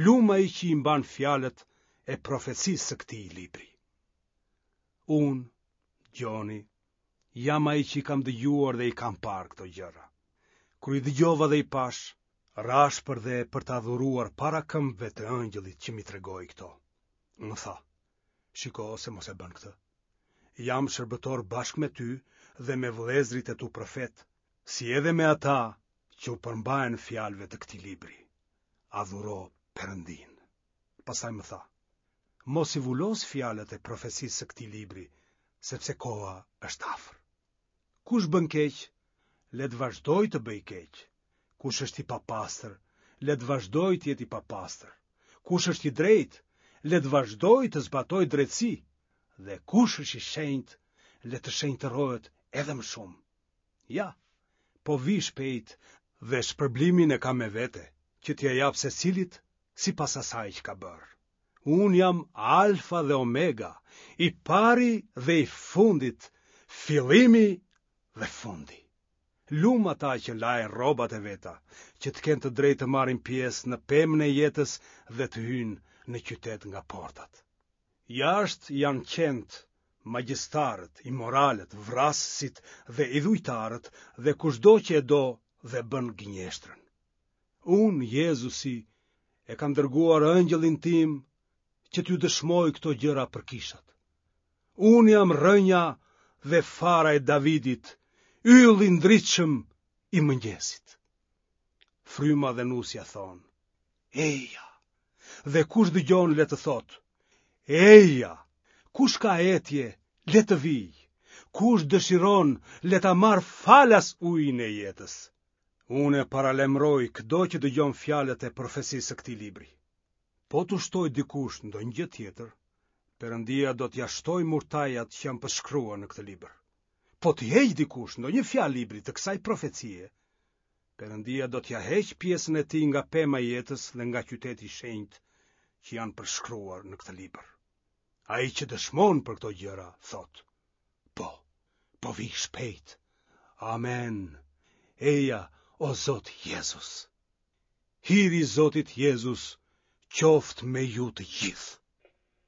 Speaker 1: Lum ai që i mban fjalët e profecisë së këtij libri. Unë, Gjoni, jam ai që i kam dëgjuar dhe i kam parë këto gjëra. Kur i dëgjova dhe i pashë, rashë përdhe për të adhuruar para këmbëve të ëngjëllit që m'i tregoi këto. Më tha, shiko se mos e bën këtë. Jam shërbëtor bashkë me ty dhe me vëllezërit e tu profetë, si edhe me ata që u përmbahen fjalëve të këtij libri. Adhuro Perëndinë. Pastaj më tha, Mos i vulos fjalët e profecisë së këtij libri, sepse koha është afër. Kush bën keq, le të vazhdojë të bëjë keq. Kush është i papastër, le të vazhdojë të jetë i papastër. Kush është i drejtë, le të vazhdojë të zbatojë drejtësi. Dhe kush është i shenjtë, le të shenjtërohet edhe më shumë. Ja, po vij shpejt dhe shpërblimin e kam me vete, që t'ia jap secilit sipas asaj që ka bërë. Unë jam Alfa dhe Omega, i pari dhe i fundit, fillimi dhe fundi. Lum ata që lajnë rrobat e veta, që të kenë të drejtë të marrin pjesë në pemën e jetës dhe të hyjnë në qytet nga portat. Jashtë janë qentë, magjistarët, imoralët, vrasësit dhe idhujtarët dhe kushdo që e do dhe bën gënjeshtrën. Unë, Jezusi, e kam dërguar ëngjëllin tim që t'ju dëshmojë këto gjëra për kishat. Unë jam rrënja dhe fara e Davidit, ylli i ndritshëm i mëngjesit. Fryma dhe nusja thonë, eja, dhe kush dëgjon le të thotë, eja, kush ka etje, le të vijë, kush dëshiron, le ta marrë falas ujin e jetës. Unë e paralajmëroj këdo që dëgjon fjalët e profecisë së këtij libri. Po t'u shtojë dikush ndonjë gjë tjetër, Perëndia do t'ia shtojë murtajat që janë përshkruar në këtë libër. Po t'i heqë dikush ndonjë fjalë librit të kësaj profecie, Perëndia do t'ia heqë pjesën e tij nga pema e jetës dhe nga qyteti i shenjtë që janë përshkruar në këtë libër. Ai që dëshmon për këto gjëra, thotë, Po, po vij shpejt. Amen. Eja, o Zot Jezus. Hiri i Zotit Jezus qoftë me ju të gjithë.